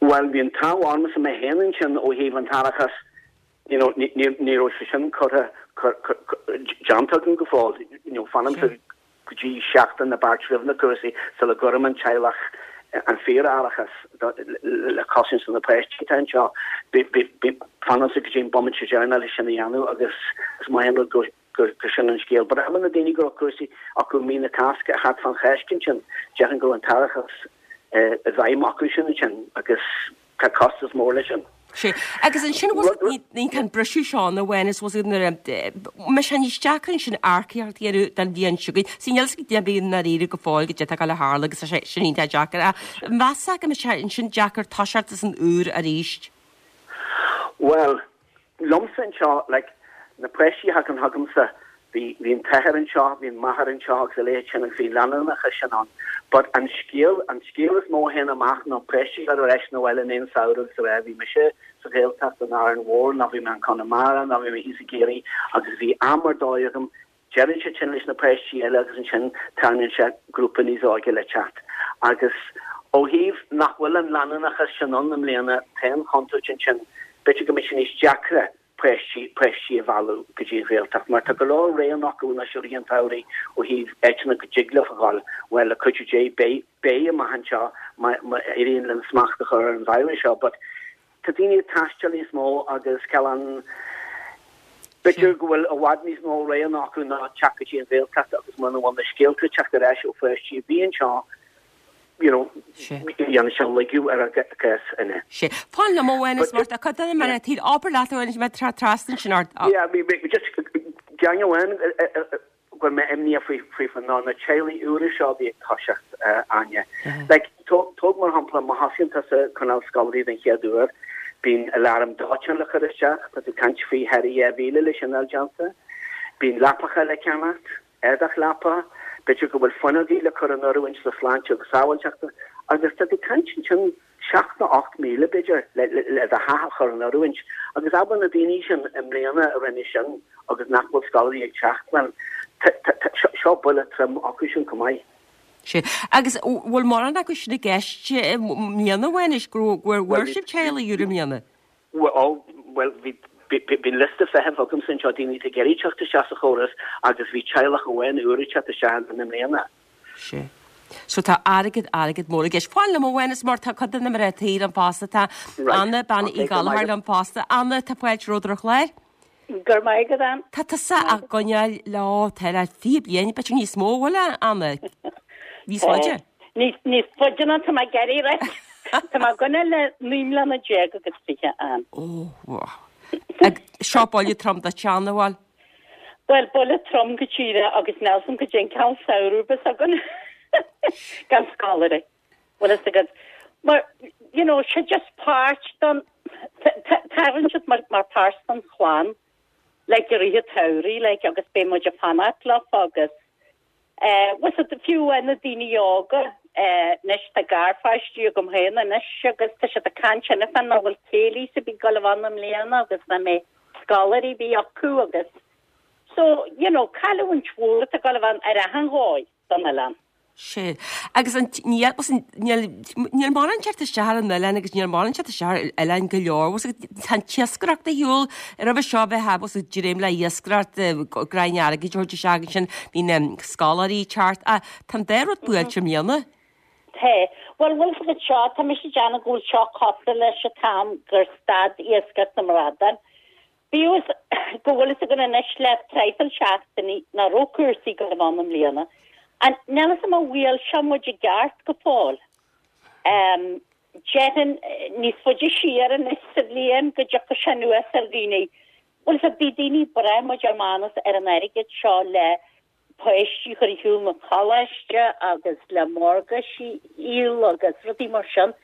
Bhuel, bhí an t-ádh ormsa mé féin ansin ó thaobh an t-árachas you know, ní, ní, ní raibh sé sin curtha, déanta agam go fóill. You know, fanaimse go dtí seachtain nó beirt roimh na cúrsaí sula gcuirim an teaghlach an fíor-árachas le cosaint do na páistí atá anseo. Fanaimse go dtí an bomaite deireanach leis sin a dhéanamh agus is maith an rud gur gur sin an scéal. But abair na daoine go raibh cúrsaí acu mí na Cásca thart fán Cháisc ansin, déarfainn go raibh an t-árachas i bhfeidhm acu sin ansin agus tá costas mór leis sin. Sea. Agus ansin bhfuil ní an briseadh seo ann a Mhánas bhfuil siad nuair a mbeidh sé níos deacra ansin earcaíocht a dhéanamh don bhliain seo chugainn. Sea, níl a fhios ag duine ar bith i ndáiríre go fóill goidé atá ag gabháil a tharlú agus tá sé sin iontach deacair. Ach measfá go mbeidh sé ansin deacair toiseacht as an úr arís? Bhuel, liomsa anseo, like, na páistí a thagann chugamsa, Bhí, bhí an t-athair anseo, bhí an mháthair anseo agus a leithéid sin agus bhí leanúnachas sin ann. But an scéal, an scéal is mó a théann amach ná páistí ag dul ar ais 'na bhaile i ndiaidh an samhradh agus a rá bhí mise sa Ghaeltacht in Árainn Mhór nó bhí mé in Conamara nó bhí mé thíos i gCiarraí agus bhí am ar dóigh agam. Deireann siad sin leis na páistí eile agus ansin tarraingíonn sé grúpa níos óige le teacht. Agus ó thaobh nach bhfuil an leanúnachas sin ann i mbliana, tá an chontúirt ansin, b'fhéidir go mbeidh sé níos deacra páistí, páistí a mhealladh go dtí an Ghaeltacht mar tá go leor roghanna acu anois i rith an tsamhraidh ó thaobh áiteanna go dtig leo a dhul. Bhuel, le cuidiú Dé, beidh, beidh amach anseo má, má éiríonn linn smacht a chur ar an virus seo but tá daoine ag taisteal níos mó agus cineál b'fhéidir go bhfuil i bhfad níos mó roghanna acu ná teacht go dtí an Ghaeltacht agus muna bhfuil na scéalta ag teacht ar ais ó pháistí a bhí anseo you know, dhéanann sé lagú ar a gcás inne. Sea. Fan liom a Mhánas mar tá cuid de na mná tí abair leat a Mhánas mé trasna ansin ort. Yeah, bhí bhí just ceann amháin go bhfuil mé imníoch faoi faoi faoi ná na teaghlaigh úra seo a bhí ag toiseacht Áine. Like tóg tóg mar shampla má thosaíonn tusa ag coinneáil scoláirí den chéad uair, bíonn aláram dóiteáin le cur isteach, tá tú ag caint faoi thar dhá mhíle le sin a fháil déanta, bíonn leapacha le ceannacht, éadach leapa, b'fhéidir go bhfuil fuinneogaí le cur in oiriúint do shláinte agus sábháilteachta, agus tá tú ag caint ansin seacht nó ocht míle, b'fhéidir, le le do theach a chur in oiriúint. Agus abair na daoine sin i mbliana a rinne sin agus nach bhfuil scoláirí ag teacht, bhuel, seo buille trom acu sin chomh maith. Sea. Agus bhfuil mórán acu sin i gceist i mbliana, a Mhánais, go bhfuair sibh teaghlaigh úra i mbliana? Bhuel, bhí bhí liosta feithimh agamsa anseo, daoine atá ag iarraidh teacht isteach sa chóras agus bhí teaghlach amháin úr ag teacht isteach i mbliana. Sea. So tá airgead, airgead mór i gceist. Fan liom a Mhánais mar tá cuid de na mná tí liom fosta. Tá Anna, Bean Uí Ghallchóir liom fosta. Anna, tá fáilte romhat ar an chlár. Go raibh maith agat, Ann. Tá tusa á gcoinneáil leo, tá le fiche bliain, b'fhéidir níos mó, bhfuil, a Anna? Níos faide? Níos, níos faide ná tá mé ag iarraidh a rá. Tá mé ag coinneáil le naoi mbliana déag agus fiche, Ann. Ó, wow. Ag seo buille trom duit, Anna, bhuel? Bhuel, buille trom go díreach agus níl a fhios agam goidé an cineál samhradh a bheas againn gan scoláirí. Bhfuil fhios agat. Mar, you know, sé just páirt den, tagann siad mar, mar páirt den chlann, like i rith an tsamhraidh, like, agus beidh muid ag fanacht leofa agus, eh, bhfuil fhios agat, fiú amháin na daoine óga, Anois tá garpháistí agam féin anois agus tá siad ag caint cheana féin nach bhfuil céilís ar bith ag gabháil a bheith ann i mbliana agus nach mbeidh scoláirí ar bith acu agus so, you know, cailliúint mhór atá ag gabháil a bheith ann ar achan dhóigh don oileán. Sea. Agus an, níl, níl, níl mórán teacht isteach ar an oileán agus níl mórán teacht isteach ar oileáin go leor. Bhfuil a fhios agat, tá an t-iascaireacht ar shiúl roimhe seo bheith bhfuil a fhios agat dréim le iascaireacht, gráin airgid a thabhairt isteach ansin, bhí na scoláirí ag teacht. Ach tá an dá rud buailte i mbliana. Tá. Bhuel, bhfuil a fhios agat seo, tá mise ag déanamh go bhfuil seo cosúil leis an t-am gur stad iascaireacht na mbradán. Bíodh is go bhfuil fhios againn anois le traidhfil seachtainí nach raibh cúrsaí ag gabháil a bheith ann i mbliana, and níl fhios agam an bhfuil seo muid i gceart go fóill. Déarfainn níos faide siar anois sa bhliain go dtiocfadh sé anuas ar dhaoine. Bhuel, so bhí daoine ag brath mo dear Mánas ar an airgead seo le páistí a chur ar shiúl na coláiste agus le morgáistí a dhíol agus rudaí mar sin.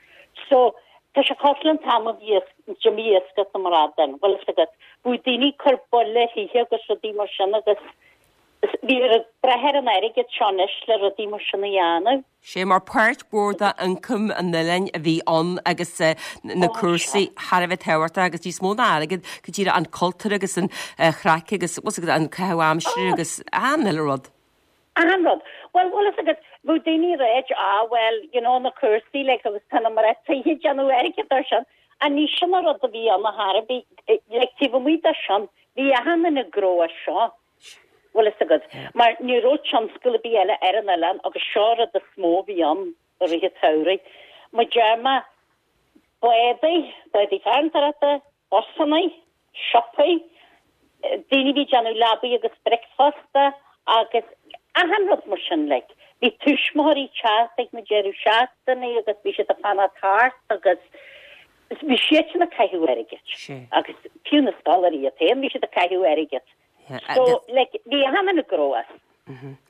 So, tá sé cosúil leis an t-am a bhí d'imigh iascaireacht na mbradán, bhfuil fhios agat. Bhí daoine ag cur buille ar thithe agus rudaí mar sin agus bhí ag brath ar an airgead seo anois le rudaí mar sin a dhéanamh. Sé mar páirt mhór d'ioncam an oileáin a bhí ann agus na cúrsaí thar a bheith tábhachtach agus níos mó ná airgead, go díreach an cultúr agus an chraic agus an caitheamh aimsire agus achan uile rud. Achan rud. Bhuel, bhfuil fhios agat, bheadh daoine ag ráit, ah well, you know, na cúrsaí like agus tá na mná tithe ag déanamh airgead ar sin. Ach ní sin an rud a bhí ann ar chor ar bith, like taobh amuigh de sin, bhí achan duine ag gnó as seo. Bhfuil fhios agat, mar ní raibh tionscal ar bith eile ar an oileán agus seo an rud is mó a bhí ann i rith an tsamhraidh. Mar deir mé, bádaí, bádaí farantóireachta, busannaí, siopaí, daoine a bhí ag déanamh leabaí agus bricfeasta agus achan rud mar sin like. Bhí tuismitheoirí ag teacht ag na deireadh seachtaine agus bhí siad ag fanacht thart agus bhí siadsan ag caitheamh airgid. Agus fiú na scoláirí iad féin, bhí siad ag caitheamh airgid. So, like, bhí achan duine ag gnó as.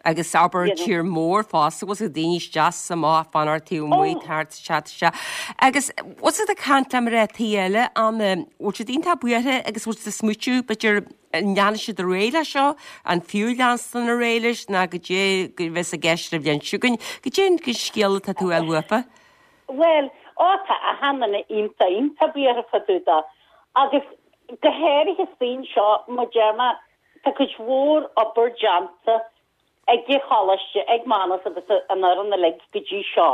Agus abair tír mór fosta, bhfuil a fhios agat daoine isteach is amach fanacht taobh amuigh oh. thart isteach isteach. Agus bhfuil siad ag caint le mná tí eile an bhfuil siad iontach buartha agus bhfuil siad ag smaoitiú b'fhéidir an leanfaidh siad ar aghaidh leis seo, an fiú leanstan ar aghaidh leis ná goidé a bheas i gceist ar an bhliain seo chugainn, goidé an scéal atá tú a fháil uafa? Bhuel, ó tá achan duine iontach iontach buartha fá dtaobh de. Agus go háirithe faoin seo, mar deir mé, tá cuid mhór obair déanta ag an choláiste, ag Mánas agus an fhoireann uilig go dtí seo,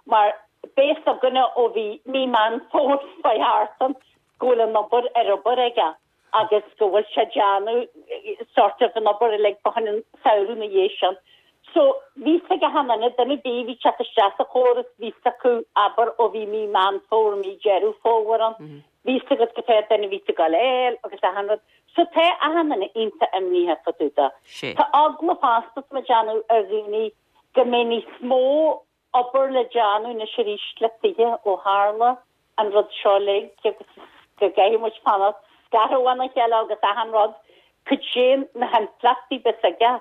mar beidh fhios againne ó bhí mí Meán Fómhair fá thart ann go bhfuil an obair ar obair aige agus go bhfuil sé ag déanamh sort of an obair uilig fá choinne an samhradh ina dhiaidh sin. So bhí fhios ag achan duine, duine ar bith a bhí ag teacht isteach sa chóras, bhí fhios acu, abair, ó bhí mí Meán Fómhair, mí Deireadh Fómhair ann, bhí fhios agat cad é duine a bhí ag gabháil a fháil agus achan rud. So tá achan duine iontach imníoch fá dtaobh de. Tá eagla fosta tá mé ag déanamh ar dhaoine go mbeidh níos mó obair le déanamh anois arís le tithe ó tharla an rud seo uilig agus go gcaithfidh muid fanacht scartha óna chéile agus achan rud, cad é na himpleachtaí a bheas aige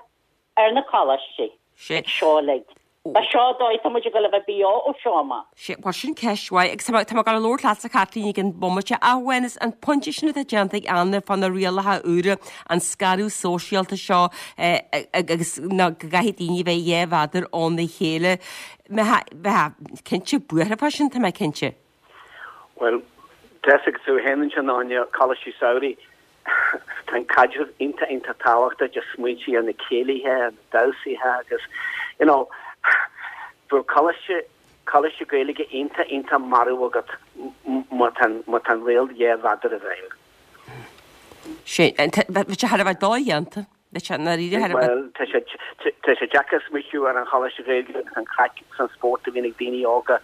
ar na coláistí ag seo uilig. Ba seo an dóigh atá muid ag dul a bheith beo ó seo amach. Sea, bhuel sin ceist mhaith agus tá mé ag dul a labhairt leatsa Caitlín ag an bomaite ach amháin is an pointe sin atá déanta ag Anna fá na rialacha úra, an scaradh sóisialta seo agus ná go gcaithfidh daoine bheith dhá mhéadar óna chéile. Bheifeá cinnte buartha fá sin, tá mé cinnte. Bhuel, tá fhios agat tú féin ansin Áine, coláistí samhraidh, Tá an caidreamh iontach iontach tábhachtach, just smaointigh ar na céilithe, na damhsaithe agus you know bheadh coláiste coláiste Gaeilge iontach iontach marbh agat má tá má tá an riail dhá mhéadar i bhfeidhm. Sé, bheadh sé thar a bheith dodhéanta. Bheadh sé ndáiríre thar a bheith. Bhuel, tá sé tá sé deacair smaoitiú ar an choláiste Gaeilge agus an craic agus an spórt a bhíonn ag daoine óga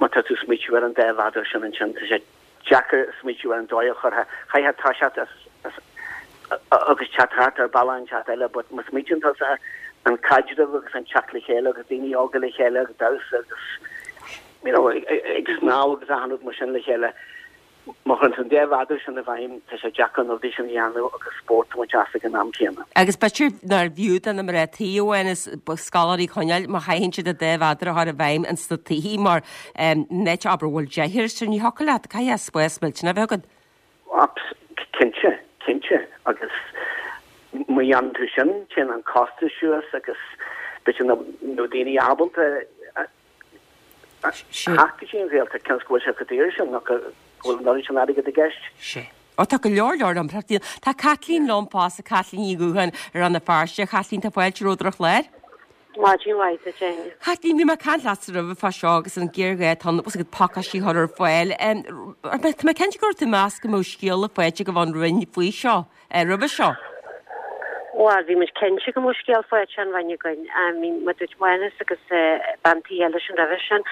má tá tú smaoitiú ar an dá mhéadar sin ansin. Tá sé deacair smaoitiú ar an dóigh a chuirfeá, chaithfeá toiseacht as agus teacht thart ar bealach inteacht eile but má smaoitíonn tusa an caidreamh agus an teacht le chéile agus daoine óga le chéile ag damhsa agus you know ag snámh agus achan rud mar sin le chéile, má chuireann tú an dá mhéadar sin i bhfeidhm tá sé deacair na rudaí sin a dhéanamh agus spórt a bhaint as ag an am céanna. Agus b'fhéidir nárbh fhiú do na mná tí amháin is scoláirí a choinneáil má chaitheann siad an dá mhéadar a chur i bhfeidhm ins na tithe mar in áit abair a bhfuil deartháir sir ní thiocfadh leat, caithfidh spás millteanach a bheith agat. Cinnte, cinnte agus má dhéanann tú sin téann an costas suas agus b'fhéidir nach mbeadh daoine ábalta Theacht go dtí an Ghaeltacht cionn is go bhfuil sé chomh daor sin nó go bhfuil an oiread sin airgid i gceist. Sea. Ó tá go leor leor impleachtaí. Tá Caitlín liom fosta, Caitlín Ní Dhúcháin ar Rann na Feirste. A Chaitlín, tá fáilte romhat ar an chlár. Maidin mhaith duit, Áine. Caitlín, bhí mé ag caint leatsa roimhe fá seo agus an géarghá atá ann agus pacáistí a chur ar fáil. Tá mé cinnte go raibh tú ag meas go mbeadh scéala faighte agaibh ón Roinn faoi seo, roimhe seo. Bhuel, bhí muid cinnte go mbeadh scéal faighte ón Roinn againn. I mean, mar a dúirt Mánas agus bean tí eile sin roimhe sin,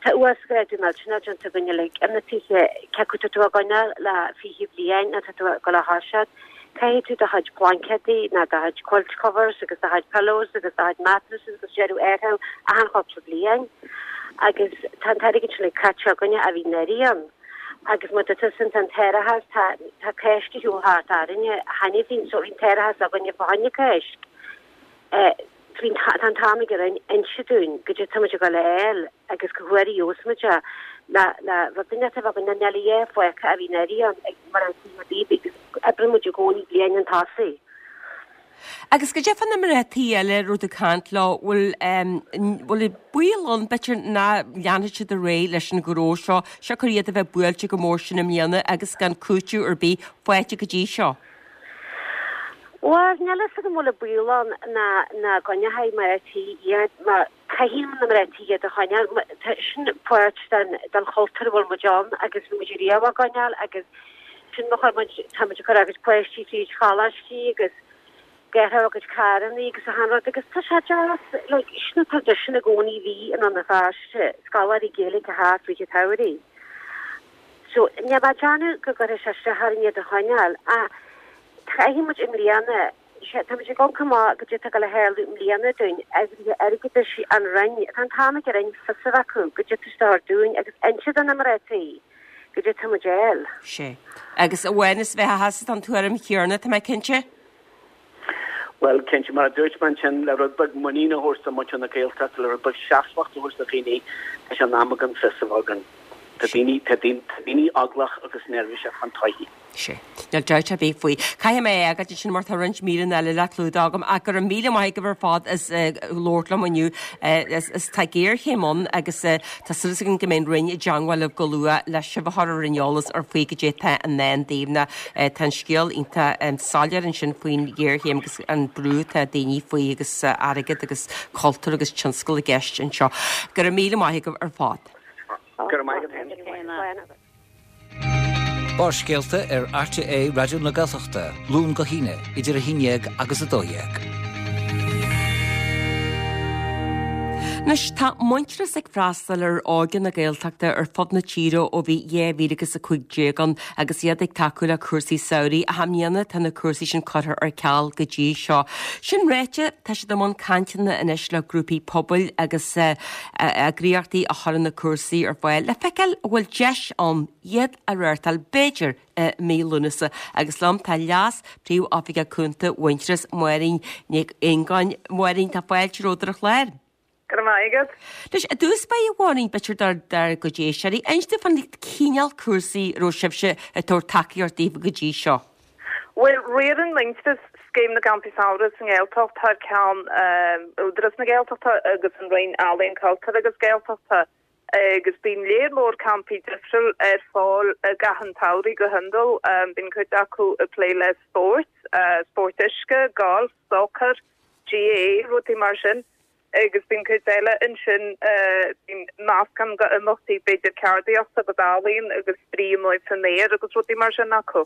tá uasghrádú millteanach déanta againn uilig ar na tithe, cé acu tá tú á gcoinneáil le fiche bliain nó tá tú ag dul a thoiseacht, caithfidh tú do chuid blaincéadaí nó do chuid quilt covers agus do chuid pillows agus do chuid mattresses agus deireadh a athrú achan chúpla bliain. Agus tá an t-airgead sin uilig caite againne a bhí anuraidh ann. Agus mar a dúirt tusa, tá an t-árachas, tá tá Cáisc ar shiúl thart orainne cheana féin so bhí an t-árachas againne fá choinne Cáisc. Bhí tá an t-am ag an Roinn inse dúinn goidé tá muid ag dul a fháil agus cá huair a gheobhas muid é le le rud inteacht a bheith againn níl a dhath fágtha a bhí anuraidh ann ag mar an tí ar bith agus oibríonn muid i gcónaí bliain chun tosaigh. Agus goidé fá na mná tí eile a raibh tú ag caint leo, bhfuil bhfuil baol ann b'fhéidir nach leanfaidh siad ar aghaidh leis an ghnó seo, siocair iad a bheith buailte chomh mór sin i mbliana agus gan cúiteamh ar bith faighte go dtí seo? Bhuel, níl a fhios agam an bhfuil baol ann nach nach gcoinneoidh mná tí iad mar caithfidh na mná tí iad a choinneáil. Tá sin páirt den den chultúr a bhfuil muid ann agus bhí muid riamh á gcoinneáil agus sin mar chuir muid tá muid ag cur ár gcuid páistí fríd choláistí agus ag athrú ár gcuid carrannaí agus achan rud agus tá sé deas like sin an traidisiún i gcónaí a bhí i nDún na Feirste, scoláirí Gaeilge a theacht fríd an tsamhraidh. So níl mé ag déanamh go gcuirfidh sé isteach orainn iad a choinneáil ach Caithfidh muid i mbliana, sea, tá muid ag amharc amach goidé atá ag dul a tharlú i mbliana dúinn, oibrithe airgeadais an Roinn, tá an t-am ag an Roinn fios a bheith acu goidé atá istigh dúinn agus inse do na mná tí goidé atá muid a fháil. Sea. Agus a Mhánais, bheifeá thusa den tuairim chéanna, tá mé cinnte? Bhuel, cinnte, mar a dúirt mé ansin, le rud beag muinín a thabhairt do mhuintir na Gaeltachta, le rud beag seasmhacht a thabhairt do dhaoine, tá sé in am againn fios a bheith againn. Tá daoine, tá daoine eaglach agus neirbhíseach fán todhchaí. Sea. Níl dabht ar bith faoi. Caithfidh mé é a fhágáil ansin mar tá roinnt míreanna eile le clúdach agam ach go raibh míle maith agaibh ar fad as labhairt liom inniu. Is tá géarchéim ann agus tá súil againn go mbeidh an Roinn i dteangmháil libh go luath le sibh a chur ar an eolas ar faoi goidé atá i ndán daoibh nó tá an scéal iontach soiléir ansin faoin ghéarchéim agus an brú atá daoine faoi agus airgead agus cultúr agus tionscal i gceist anseo. Go raibh míle maith agaibh ar fad. Go raibh maith agat féin. Barrscéalta ar RTÉ Raidió na Gaeltachta, Luan go hAoine, idir a haon déag agus a dó dhéag. Anois, tá Muintearas ag freastal ar óige na Gaeltachta ar fud na tíre ó bhí dhá mhíle agus a cúig déag ann agus iad ag tacú le cúrsaí samhraidh. Ach i mbliana tá na cúrsaí sin curtha ar ceal go dtí seo. Sin ráite, tá siad i mbun cainteanna anois le grúpaí pobail agus eagraíochtaí a chuireann na cúrsaí ar fáil le feiceáil an bhfuil deis ann iad a reáchtáil, b'fhéidir, i mí Lúnasa. Agus liom tá Leas Príomh-Oifigeach Cúnta Mhuintearas, Máirín Nic Aongáin. Máirín, tá fáilte romhat ar an chlár. Go raibh maith agat. Anois, i dtús báire, a Mháirín, b'fhéidir dár dár gcuid éisteoirí, inis dúinn fán chineál cúrsaí a raibh sibhse ag tabhairt tacaíocht daofa go dtí seo. Bhuel, riarann Muintearas Scéim na gCampaí Samhraidh sa nGaeltacht thar ceann Údarás na Gaeltachta agus an Roinn Ealaíon, Cultúir agus Gaeltachta agus bíonn léar mór campaí difriúil ar fáil i gcaitheamh an tsamhraidh go hiondúil. Bíonn cuid acu ag plé le spórt, spórt uisce, golf, sacar, GAA, rudaí mar sin. Agus bíonn cuid eile ansin, bíonn meascán de imeachtaí, b'fhéidir ceardaíocht agus ealaíon agus spraoi amuigh san aer agus rudaí mar sin acu.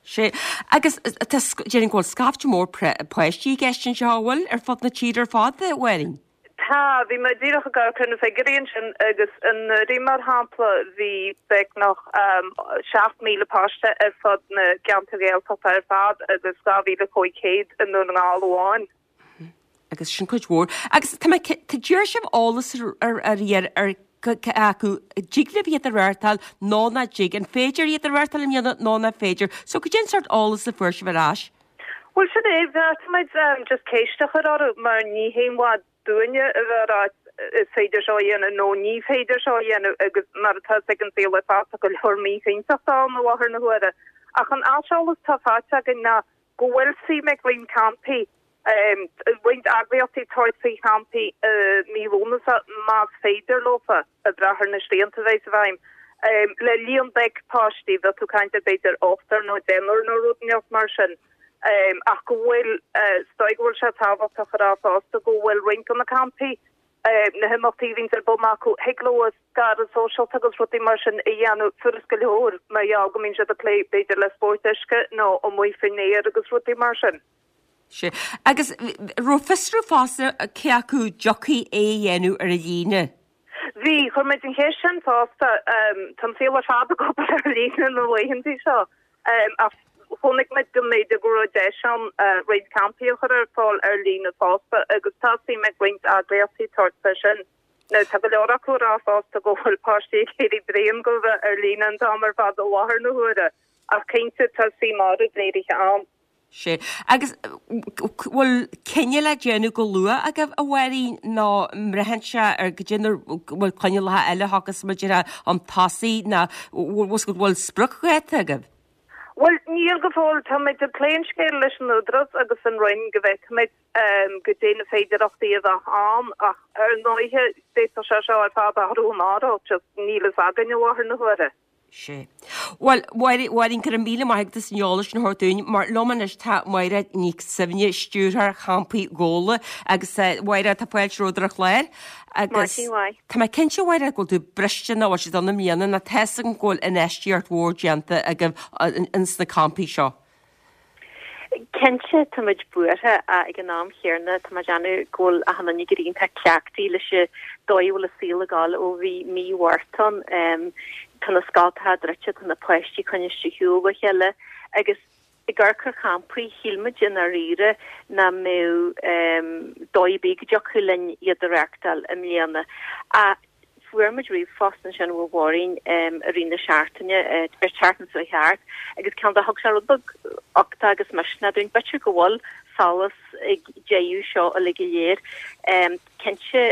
Sea, agus tá, déarfainn go bhfuil scaifte mór páistí i gceist anseo, an bhfuil, ar fud na tíre ar fad, a Mháirín? Tá, bhí mé díreach ag amharc ar na figiúirí ansin agus anuraidh, mar shampla, bhí beagnach seacht míle páiste ar fud na gceantar Gaeltachta ar fad agus dhá mhíle cúig chéad i nDún na nGall amháin. Agus sin cuid mhór. Agus tá mé, tá d'iarr sibh eolas ar ar ar ar cé acu an dtig libh iad a reáchtáil nó nach dtig, an féidir iad a reáchtáil i mbliana nó nach féidir. So cad é an sórt eolas a fuair sibh ar ais? Bhuel sin é, bheartaigh muid just ceist a chur orthu mar ní haon mhaith dúinne a bheith ag rá is féidir seo a dhéanamh nó ní féidir seo a dhéanamh agus mar atá a fhios ag an saol ar fad tá go leor míchinnteachta ann i láthair na huaire. Ach an aiseolas atá faighte againn ná go bhfuil suim ag roinnt campaí Roinnt eagraíochtaí ag tabhairt faoi champaí i mí Lúnasa más féidir leofa, ag brath ar na srianta a bheas i bhfeidhm. Le líon beag páistí, bheadh tú ag caint ar b'fhéidir ochtar nó deichniúr nó rud inteacht mar sin. Ach go bhfuil, is dóigh go bhfuil sé tábhachtach a rá fosta go bhfuil roinnt de na campaí, na himeachtaí a bhíonns ar bun acu, thig leo scaradh sóisialta agus rudaí mar sin a dhéanamh furast go leor mar gheall go mbíonn siad ag plé b'fhéidir le spóirt uisce nó amuigh faoin aer agus rudaí mar sin. Sea. Agus raibh fiosrú fosta cé acu dtiocfaí é a dhéanamh ar líne? Bhí, chuir muid an cheist sin fosta. Tá an saol ar fad ag obair ar líne na laethanta seo. Ach chonaic muid go mb'fhéidir go raibh deis ann roinnt campaí a chur ar fáil ar líne fosta agus tá suim ag roinnt eagraíochtaí tabhairt fé sin. Now tá go leor acu ag rá fosta go bhfuil páistí ag éirí bréan de bheith ar líne an t-am ar fad i láthair na huaire ach cinnte tá suim áirid léirithe ann. Sea. Agus bhfuil cinneadh le déanamh go luath agaibh, a Mháirín, nó an mbraitheann sé ar goidé na bhfuil coinníollacha eile a thiocfas muid ar an tosaigh nó bhfuil bhfuil spriocdháta agaibh? Bhuel, níl go fóill. Táimid ag plé an scéil leis an Údarás agus an Roinn go bhfeicfimid goidé na féidearthachtaí a bheadh ann ach ar ndóighe d'fhéadfadh sé seo ar fad athrú amárach, just níl fhios againn i láthair na huaire. Sea. Bhuel, Mháirín, go raibh míle maith agat as an eolas sin a thabhairt dúinn, mar liom anois tá Máire Nic Suibhne, Stiúrthóir Champaí Ghabhla, agus Mháire, tá fáilte romhat ar an chlár. Agus Maidin mhaith. tá mé cinnte, Mháire, go bhfuil tú briste nach bhfuil siad ann i mbliana, nó tá fhios agam go bhfuil infheistíocht mhór déanta agaibh ins na campaí seo. Cinnte, tá muid buartha ach ag an am chéanna tá mé ag déanamh go bhfuil achan duine ag éirí iontach cleachtaithe leis an dóigh a bhfuil an saol ag dul ó bhí mí Mhárta ann. Tá na scoltacha druidte, tá na páistí coinnithe ar shiúl ó chéile agus ag amharc ar champaí, shíl muid i ndáiríre nach mbeadh dóigh ar bith go dtiocfadh linn iad a reáchtáil i mbliana. Ach Fuair muid ríomhphost ansin ó Mháirín i rith na seachtaine, ar tseachtain seo thart, agus cineál de thug sé rud beag uchtach agus misneach dúinn. B'fhéidir go bhfuil solas ag deireadh seo uilig go léir. Cinnte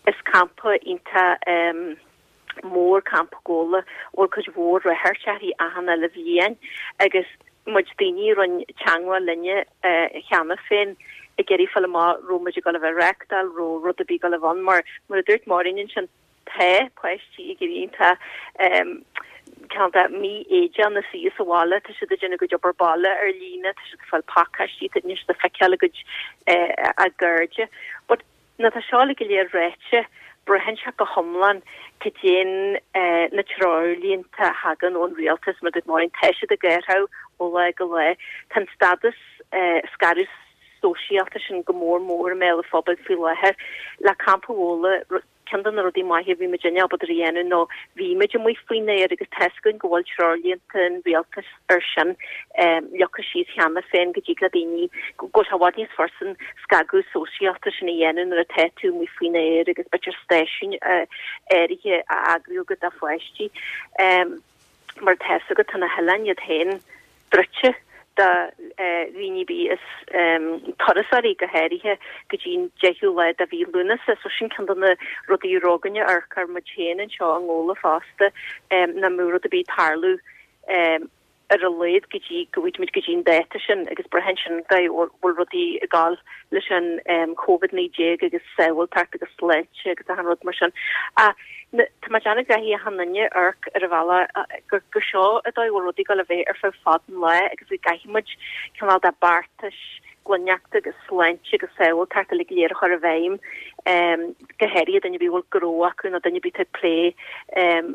is campa iontach mór Campa Ghabhla, a bhfuil cuid mhór ráchairt uirthi achan uile bhliain agus muid daoine a rinne teagmháil linne cheana féin ag iarraidh fáil amach raibh muid ag dul a bheith ag reáchtáil, raibh rud ar bith ag dul a bheith ann mar, mar a dúirt Máirín ansin, tá páistí ag éirí iontach cineál de mífhoighdeach ina suí sa bhaile, tá siad ag déanamh a gcuid obair baile ar líne, tá siad ag fáil pacáistí, tá siad ag feiceáil a gcuid a gcairde. But nuair atá seo uilig go léir ráite, braitheann sé go hiomlán cad é na treoirlínte a thagann ón rialtas, mar a dúirt Máirín, tá siad ag athrú ó lá go lá. Tá an stádas scaradh sóisialta sin go mór mór i mbéal an phobail faoi láthair. Le Campa Ghabhla, ceann de na rudaí maithe a bhí muidinne ábalta a dhéanamh ná bhí muid amuigh faoin aer agus tá fhios againn go bhfuil treoirlínte an rialtais ar sin leagtha síos cheana féin go dtig le daoine go bhfuil sé i bhfad níos fursa an scagadh sóisialta sin a dhéanamh nuair atá tú amuigh faoin aer agus b'fhéidir stáisiúin áirithe a eagrú agat do pháistí. Mar tá fhios agat tá na hoileáin iad féin druidte do dhaoine ar bith is turasóirí go háirithe go dtí an deichiú lá de mhí Lúnasa. So sin ceann de na rudaí a raibh againne ag amharc air muid féin anseo i nGabhla fosta, nach mbeadh rud ar bith ag tarlú ar a laghad go dtí go bhfaighidh muid go dtí an dáta sin agus braitheann sin go bhfuil rudaí ag dul leis an Covid naoi déag agus sábháilteacht agus sláinte agus achan rud mar sin. Ach tá mé ag déanamh go gcaithfidh achan duine amharc ar an bhealach gur gur seo an dóigh a bhfuil rudaí ag dul a bheith ar feadh fad an lá agus go gcaithfidh muid cineál de beartais glaineachta agus sláinte agus sábháilteachta uilig go léir a chur i bhfeidhm, go háirithe duine ar bith a bhfuil gnó acu nó duine ar bith atá ag plé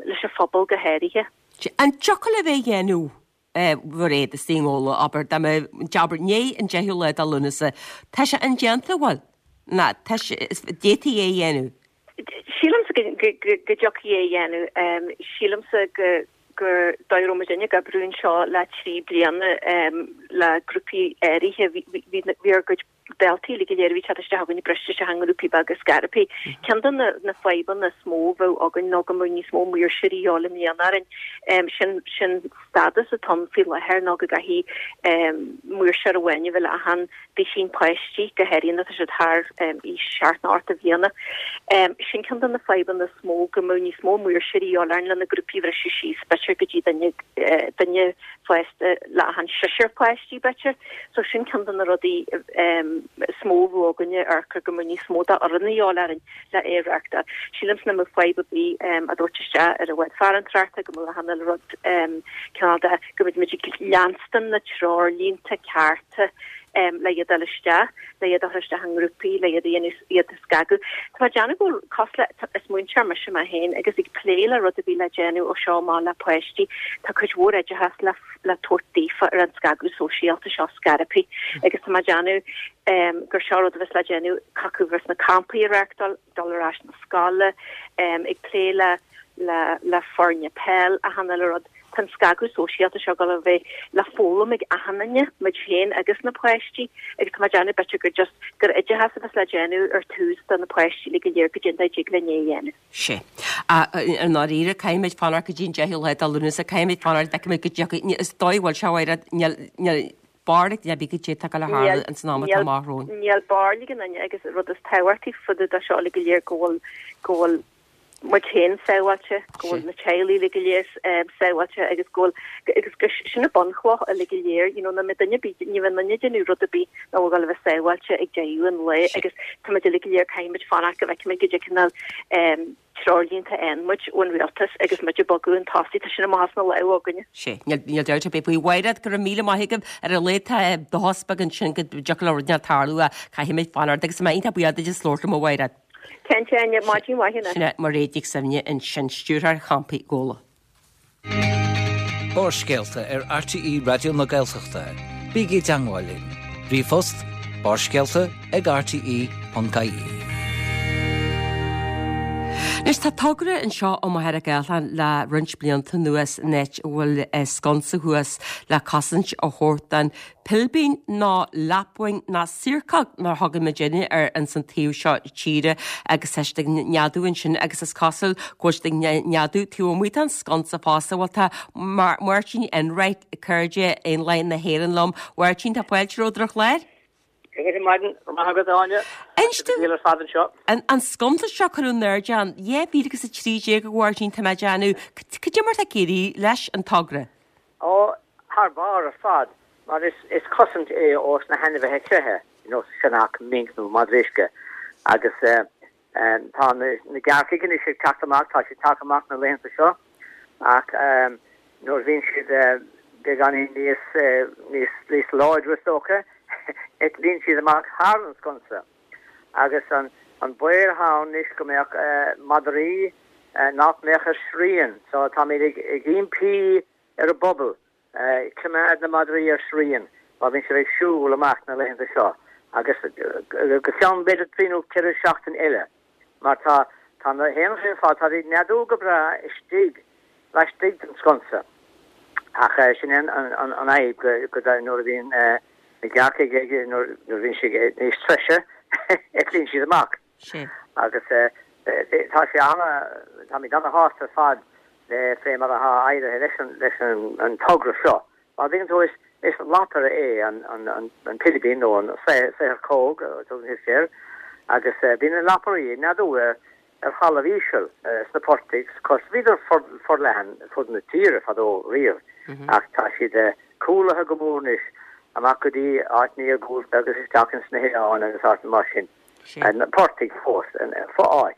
leis an phobal go háirithe. An dtiocfadh libh é a dhéanamh Mhairéad istigh i nGabhla, abair, dá mbeadh, abair, i ndiaidh an deichiú lá de Lúnasa, tá sé indéanta, bhfuil? Ná, tá sé, d'fhéadfaí é a dhéanamh? Sílimse go dtiocfaí é a dhéanamh. Sílimse go gur dóigh a raibh muidinne ag oibriú anseo le trí bliana le grúpaí áirithe, bhí ár gcuid daltaí uilig go léir a bhí ag teacht isteach againn briste isteach i ngrúpaí beaga scaipthe. Ceann de na fadhbanna is mó a bheadh againn ná go mbeadh níos mó maoirseoirí a dhíobháil i mbliana orainn. Sin sin stádas atá ann faoi láthair ná go gcaithfidh maoirseoir amháin a bheith le achan duisín páistí, go háirithe nuair atá siad thar aois seacht nó ocht de bhliana. Sin ceann de na fadhbanna is mó, go mbeadh níos mó maoirseoirí a dhíobháil orainn le na grúpaí a bhriseadh síos, b'fhéidir go dtí duine duine fásta le achan seisear páiste. páistí b'fhéidir. So sin ceann de na rudaí is mó a bhí againne ar go mbeadh níos mó d'fhoireann a dhíobháil orainn le é a reáchtáil. Sílimse nach mbeadh fadhb ar bith a dtabhairt isteach ar an bhád farantóireachta go mbeadh achan uile rud cineál de go mbeidh muid ag leanstan na treoirlínte cearta le iad a fháil isteach, le iad a chur isteach i ngrúpaí, le iad a dhéanamh, iad a scagadh. Tá mé ag déanamh go bhfuil cosúil le, is múinteoir mise mé féin agus ag plé le rud a bhí le déanamh ó seo amach le páistí, tá cuid mhór oideachas le le tabhairt daofa ar an scagadh sóisialta seo scaipthe agus tá mé ag déanamh gur seo rud a bheas le déanamh acu bheas na campaí a reáchtáil, dul ar ais na scoile, ag plé le le le foirne peil, achan uile rud. Tá an scagadh sóisialta seo ag dul a bheith le foghlaim ag achan duine, muid féin agus na páistí, agus tá mé ag déanamh b'fhéidir gur just gur oideachas a bheas le déanamh ar tús do na páistí le go léir goidé an dóigh a dtig linn é a dhéanamh. Sea. I ndáiríre, caithfimid fanacht go dtí an deichiú lá de Lúnasa, caithfimid fanacht, feicfimid go dtiocfaidh, is dóigh a bhfuil sé, a Mhairéad, níl, níl barúil ag duine ar bith goidé atá ag dul a tharlú ins an am atá amach romhainn. Níl barúil ag aon duine agus an rud is tábhachtaí fá dtaobh de seo uilig go léir go bhfuil, go bhfuil muid féin sábháilte, go bhfuil na teaghlaigh uilig go léir sábháilte agus go bhfuil, agus go, sin an bunchloch uilig go léir, you know, nach mbeidh duine ar bith, ní bheidh duine ag déanamh rud ar bith nach bhfuil ag dul a bheith sábháilte ag deireadh an lae agus tá muid uilig go léir, caithfidh muid fanacht go bhfeicfimid goidé cineál treoirlínte a fhaigheann muid ón rialtas agus muid ag bogadh chun tosaigh, tá sin amach as na lámha againne. Sea, níl, níl dabht ar bith faoi. A Mhairéad, go raibh míle maith agaibh ar a laghad tá dóchas beag ansin go dtiocfadh le rud inteacht tarlú ach caithfimid fanacht agus tá mé iontach buíoch duit as labhairt liom a Mhairéad. Cinnte, Áine, maidin mhaith anois. Sin é Mairéad Nic Suibhne ansin, Stiúrthóir Champaí Ghabhla. Barrscéalta ar RTÉ Raidió na Gaeltachta. Bígí i dteangmháil linn. Ríomhphost, barrscéalta ag rte ponc ie. Anois tá togra anseo i Machaire Gathlán le roinnt blianta anuas in áit a bhfuil sconsa thuas le cosaint a thabhairt don pilibín nó lapwing nó siorcóg mar a thugann muidinne air ins an taobh seo tíre agus tá siad ag neadú ansin agus is cosúil go bhfuil siad ag neadú taobh amuigh den sconsa fosta. Bhuel tá Máirtín Enright, Cairde Éanlaith na hÉireann liom. Mháirtín, tá fáilte romhat ar an chlár. Go maidin maith agat Áine. Inis ar fad anseo. An an sconsa seo cuireadh in airde ann dhá mhíle agus a trí déag a Mháirtín tá mé ag déanamh. Cad é mar tá ag éirí leis an togra? Ó, thar barr ar fad, mar is is cosaint é ós na hainmhithe creiche, you know, sionnach, minc nó madra uisce. Agus tá na na gearrcaigh anois ag teacht amach, tá siad tagtha amach na laethanta seo, ach nuair a bhíonn siad beagáinín níos níos níos láidre is dócha, eitlíonn siad amach thar an sconsa. Agus an an baol atá ann anois go mbeadh madraí nach mbeadh ar srian, so táimid ag ag impí ar an bpobal coimeád na madraí ar srian má bhíonn sibh ag siúl amach na laethanta seo agus go ceann b'fhéidir trí nó ceithre seachtain eile mar tá tá na héanlaithe ar fad, tá siad ag neadú go breá istigh laistigh den sconsa ach sin é an an an fhadhb go go nuair a bhíonn na gearrcaigh ag nuair nuair a bhíonn siad níos treise eitlíonn siad amach. Agus tá sé ana táimid ana-shásta ar fad le fé mar atá éirithe leis an leis an an togra seo. Mar tuigeann tú is is lapaire é an an an an pilibín nó an saothar-cóg a tugann siad air agus bíonn na lapairí ag neadú ar ar thalamh íseal sna portaigh cos bhíodar forleathan fud na tíre fadó riamh ach tá siad cúlaithe go mór anois amach go dtí áiteanna iargúlta agus isteach ins na hoileáin agus áiteanna mar sin. Na portaigh fós, fo-áit.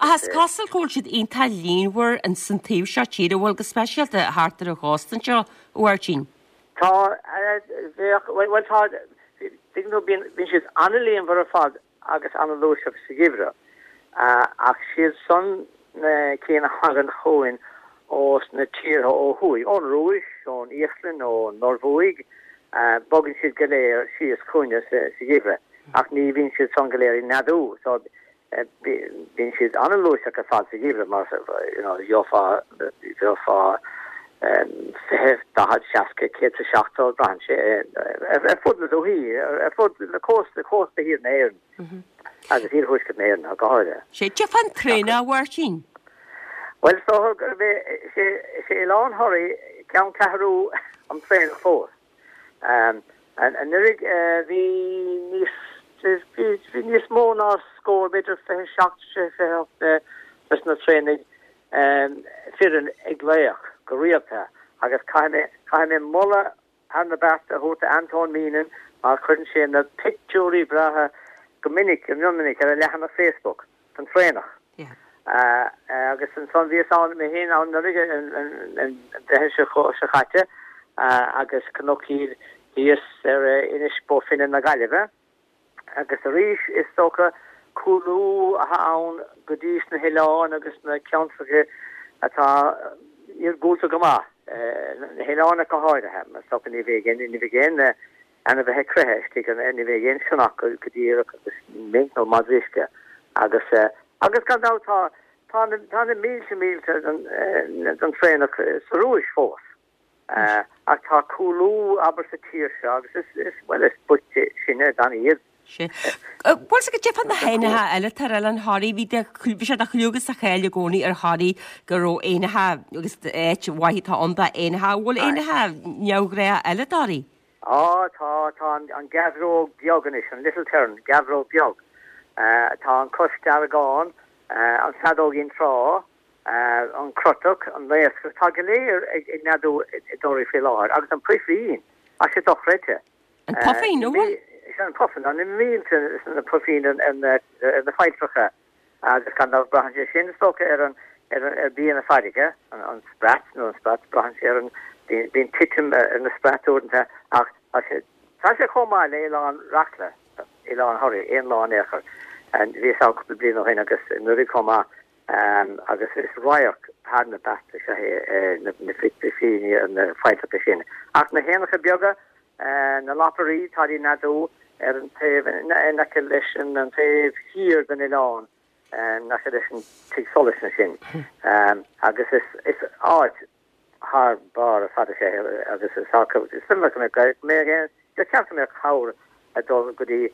Ach is cosúil go bhfuil siad iontach líonmhar ins an taobh seo tíre, bhuel go speisialta thart ar an chósta anseo, a Mháirtín. Tá, bheadh, bhuel tá, tuigeann tú, bíonn, bíonn siad an-líonmhar ar fad agus an-fhlúirseach sa gheimhreadh, ach siad san na cinn a thagann chugainn ós na tíortha ó thuaidh, ón Rúis, ón Íoslainn, ón Norbhuaidh, bogann siad go léir síos chugainne sa gheimhreadh, ach ní bhíonn siad san go léir ag neadú, so Bíonn siad an-fhlúirseach ar fad sa gheimhreadh mar you know gheofá gheofá fiche, daichead, seasca, céad is seachtó, braitheann sé ar fud na dúichí, ar fud na cósta, cósta thiar na hÉireann agus iarthuaisceart na hÉireann go háirithe. Sé cad é fán traonach, a Mháirtín? Bhuel is dócha gurb é sé sé Oileán Thoraí ceanncheathrú an traonach fós. Anuraidh bhí níos bhí níos mó ná scór, b'fhéidir fiche seacht, fiche ocht des na traonaigh fireann ag glaoch go rialta agus caithfidh mé caithfidh mé moladh thar na bearta a thabhairt do Antóin Meenan mar cuireann sé na pictiúirí breátha go minic, go mion minic ar a leathanach Facebook den traonach. Agus ansan bhíos ann mé féin ann anuraidh an Mheitheamh seo caite agus chonac iad thíos ar Inis Bó Finne na Gaillimhe. Agus arís is dócha cúlú atá ann go dtí sna hoileáin agus na ceantracha atá iargúlta go maith, na hoileáin ach go háirithe, mar is dócha ní bheidh aon, ní bheidh aon ainmhithe creiche istigh, ní bheidh aon sionnach go díreach agus mink nó madra uisce agus, agus gan dabht tá, tá na, tá na mílte mílte den, den traonach sa Rúis fós. Ach tá cúlú, abair, sa tír seo agus is, is, bhuel, is boichte sinne gan iad. Sea. Bhuel, cad é fá na héanacha eile atá ar Oileán Thoraí, bhí de, bhí sé de chlú agus de cháil i gcónaí ar Thoraí go raibh éanacha agus áit mhaith atá ann d'éanacha. Bhfuil éanacha neamhghnácha eile i dToraí? Á, tá, tá an, an geabhróg beag anois, an little tern, geabhróg beag. Tá an cosdeargán, an feadóigín trá, an crotach, an naoscach, tá go léir ag, ag neadú i dToraí faoi láthair. Agus an puifín, tá sé dochreidte. An puifín, an bhfuil? Sea, an puifín, tá na mílte na puifín ar na ar na failltreacha agus gan dabht braitheann sé sin is dócha ar an ar an ar bia na farraige, an an sprat nó an sprat, braitheann sé ar an bíonn bíonn titim ar na sprait uaireanta ach tá sé tá sé chomh maith le Oileán Reachla, Oileán Thoraí, aon lá in aon chor. Bhíos ann cúpla bliain ó shin agus anuraidh chomh maith agus is radharc thar na bearta is ea é na puifíní ar na failltreacha sin. Ach na héanacha beaga, na lapairí, táid ag neadú ar an taobh in aice leis an taobh thiar den oileán, in aice leis an tigh solais ansin. Agus is áit thar barr ar fad is ea é agus is suimiúil go mbeadh, ba cheart go mbeadh cabhair ag dul go dtí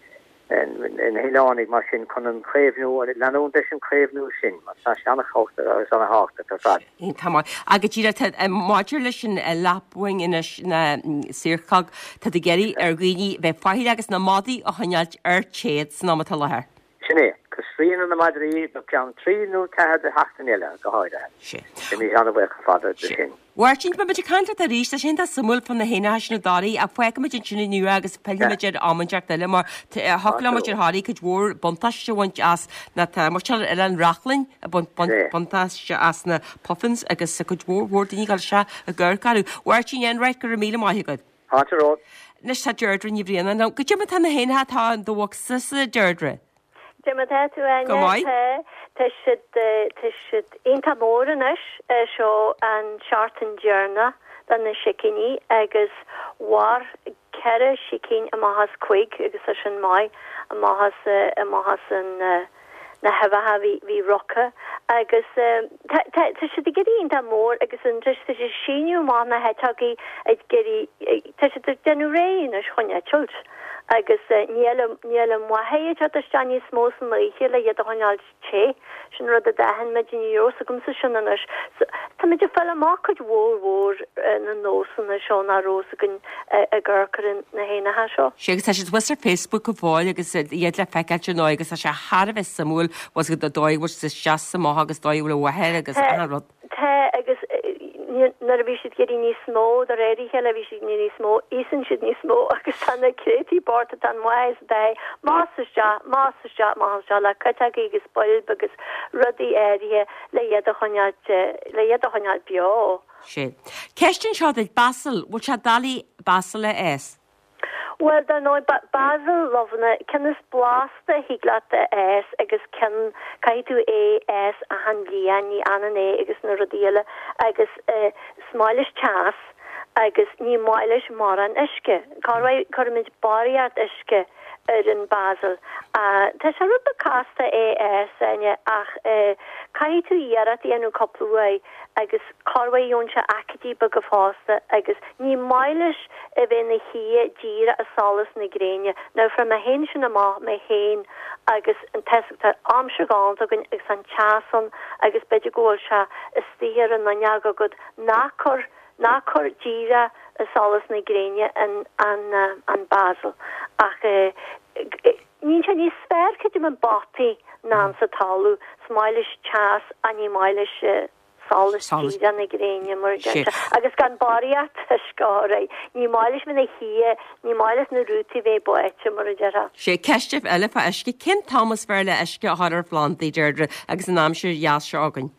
na hoileánaigh mar sin chun an caomhnú, leanúint leis an chaomhnú sin, mar tá sé an-tábhachtach agus an-thábhachtach ar fad. Tá maith. Agus díreach maidir leis an lapwing anois na siorcóg, tá tú ag iarraidh ar dhaoine bheith faichilleach agus na madaí a choinneáilt ar téad san am atá i láthair. Sin é. Agus srian ar na madraí go ceann trí nó ceathair de sheachtain eile, go háirithe. Sin. Bheimis an-bhuíoch ar fad de sin. A Mháirtín, beidh muid ag caint leat arís, tá sé iontach suimiúil fá na héanacha sin i dToraí, ach fágfaimid ansin inniu é agus pillfimid air am inteacht eile mar thiocfadh le muintir Thoraí cuid mhór buntáiste a bhaint as na tá muintir Oileán Reachlainn ag baint buntáiste as na puffins agus cuid mhór mhór daoine ag dul isteach ag amharc orthu. A Mháirtín Enright, go raibh míle maith agat. Fáilte romhat. Anois tá Deirdre Ní Bhraonáin liom. Goidé mar tá na héanacha atá in do bhocsa, Deirdre? Goidé mar tá tú, Áine. Go maith. Tá, tá siad, tá siad iontach mór anois. Seo an seachtain deireanach do na sicíní agus mhair ceithre sicín amach as cúig agus tá sin maith amach as, amach as an, na huibheacha a bhí, bhí roctha agus tá, tá, tá siad ag éirí iontach mór agus anois tá siad ag síneadh amach na heiteogaí ag éirí, tá siad ag déanamh réidh anois chun eitilt. Agus níl níl an mháthair ag teacht isteach níos mó san oíche le iad a choinneáil te. Sin rud a d'aithin muid, ní raibh fhios agamsa sin anois. So, táimid ag fáil amach cuid mhór mhór na nósanna seo nach raibh fhios againn ag amharc ar na héanacha seo. Sea, agus tá siad thuas ar Facebook go fóill agus iad le feiceáilt ar ndóigh agus tá sé thar a bheith suimiúil, bhfuil a fhios agat an dóigh a bhfuil siad isteach is amach agus dóigh a bhfuil a mháthair agus achan rud. Tá, agus nuair a bhí siad ag éirí níos mó, de réir a chéile bhí siad ag éirí níos mó, íosann siad níos mó agus tá na créataí bochta, tá an mhaith is atá amach is isteach, amach is isteach, amach is isteach le cuiteogaí agus boilb agus rudaí áirithe le iad a choinneáil, le iad a choinneáil beo. Sea. Ceist anseo duit, basil, bhfuil sé doiligh basil a fhás? Bhuel, dar ndóigh, basil lobhanna, ceann is blasta a thig leat a fhás agus ceann, caithfidh tú é fhás achan bhliain, ní fhanann é agus na rudaí eile agus is maith leis teas agus ní maith leis mórán uisce. Corruair cuirimid barraíocht uisce ar an basil. Tá sé rud beag casta é a fhás, Áine, ach caithfidh tú iarracht a dhéanamh cúpla uair agus corruair gheobhann sé aicídí beaga fosta agus ní maith leis a bheith ina shuí díreach i solas na gréine. Now fuair mé féin sin amach mé féin agus an t-, tá aimsir ghalánta againn agus an teas ann agus b'fhéidir go bhfuil sé istigh ar an fhuinneog agat ná cuir ná cuir díreach i solas na gréine an an an basil ach eh níonn sé níos fearr creidim i bpotaí ná sa talamh. Is maith leis teas ach ní maith leis Solas díreach na gréine mar a deir sé. Agus gan barraíocht uisce a chur air. Ní maith leis na hia, ní maith leis na rútaí bheith báite mar a déarfá. Sé ceist eile fá uisce, cén t-am is fearr le uisce a chur ar phlandaí, Deirdre, agus an aimsir dheas seo againn?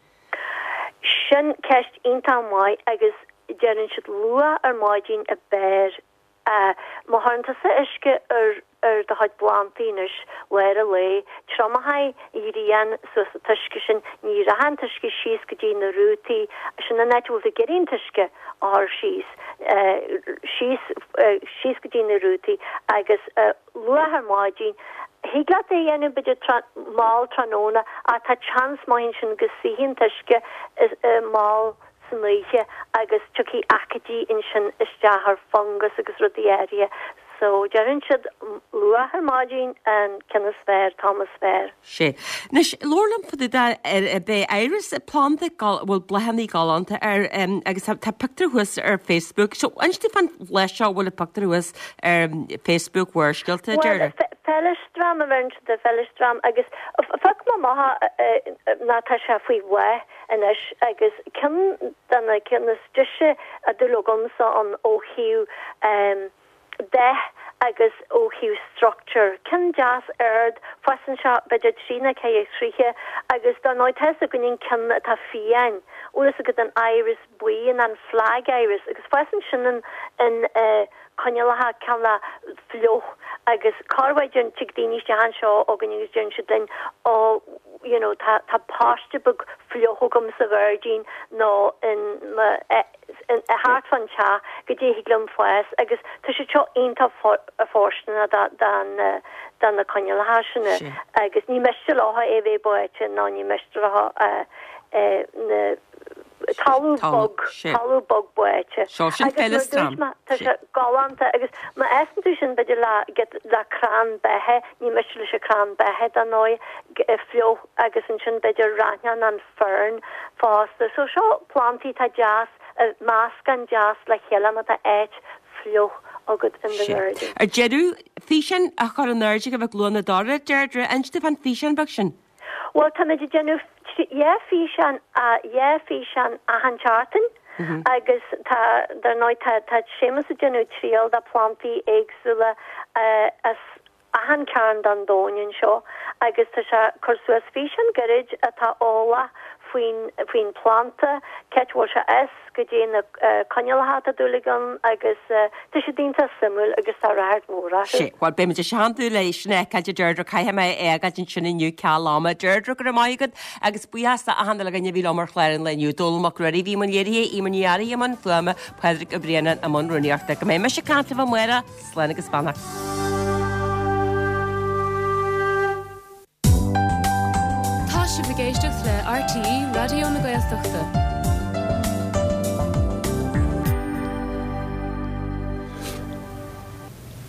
Sin ceist iontach maith agus deireann siad luath ar maidin ab fhearr. Má chuireann tusa uisce ar ar do chuid plandaí anois lár an lae, triomóidh an ghrian suas an t-uisce sin, ní rachaidh an t-uisce síos go dtí na rútaí, sin an áit a bhfuil tú ag iarraidh an t-uisce a chur síos, síos, síos go dtí na rútaí agus luath ar maidin, thig leat é a dhéanamh b'fhéidir mall tráthnóna ach tá seans maith ansin go suífidh an t-uisce mall san oíche agus tiocfaidh aicídí ansin isteach ar fungas agus rudaí áirithe. So deireann siad luath ar maidin an ceann is fearr, t-am is fearr. Sé. Anois, labhair liom fá dtaobh de ar b'é iris planda a bhfuil bláthanna galánta air agus tá pictiúr thuas ar Facebook. So inis domh fán bhláth seo a bhfuil an pictiúr thuas ar Facebook Bharrscéalta, Bhuel, Deirdre. Feileastram a bheireann siad air, feileastram agus phioc mé amach ná tá sé faoi bhláth anois agus ceann de na cinn is deise a dúil agamsa ann ó thaobh dath agus ó thaobh structure. Ceann deas ard, fásann sé b'fhéidir trí nó ceithre throithe agus dar ndóigh tá fhios againn an ceann atá fiáin, bhfuil fhios agat an iris buí an an flag iris agus fásann sin in in coinníollacha cineál fliuch agus corruair deireann tig daoine isteach anseo chugainn agus deireann siad linn ó you know tá tá paiste beag fliuch agam sa ghairdín nó in mo in thart fán teach goidé a thig liom fás agus tá siad seo iontach fóirsteanach do don do na coinníollacha sin agus ní miste leo é bheith báite ná ní miste leo na talamh bog, talamh bog báite. Seo sin Agus mar a feileastram. dúirt mé, tá sé galánta agus má fhásann tú sin b'fhéidir le le crann beithe, ní miste leis an crann beithe dar ndóigh, fliuch agus ansin b'fhéidir raithneach an fern fosta. So seo plantaí atá deas, meascán deas le chéile má tá áit fliuch agat in do ghairdín. Ar deireadh, físeán a chur in airde ag Mhic Luan na Doire, Deirdre, inis domh fán físeán beag sin. Bhuel, táimid ag déanamh dhá físeán, dhá físeán achan tseachtain agus tá, dar ndóigh, tá, tá Séamus ag déanamh triail de phlantaí éagsúla as achan cearn den domhan anseo agus tá sé ag cur suas físeán gairid atá eolach faoin, faoin planta, cá háit a bhfuil sé as, goidé na coinníollacha atá dúil aige ann agus tá siad iontach suimiúil agus tá ráchairt mhór orthu. Sé, bhuel beidh muid ag teanntú le sin a fheiceáil a Deirdre, caithfidh mé é a fhágáil ansin inniu ceal ama. Deirdre, go raibh maith agat agus buíochas do achan uile dhuine a bhí liom ar chlár an lae inniu. Dónall Mac Ruairí a bhí i mbun léirithe, Eimear Ní Fhearraigh i mbun fuaime, Pádraig Ó Braonáin i mbun rúnaíochta. Go mbeidh mise ag caint libh amárach, slán agus beannacht. Tá sibh ag éisteacht le RTÉ Raidió na Gaeltachta.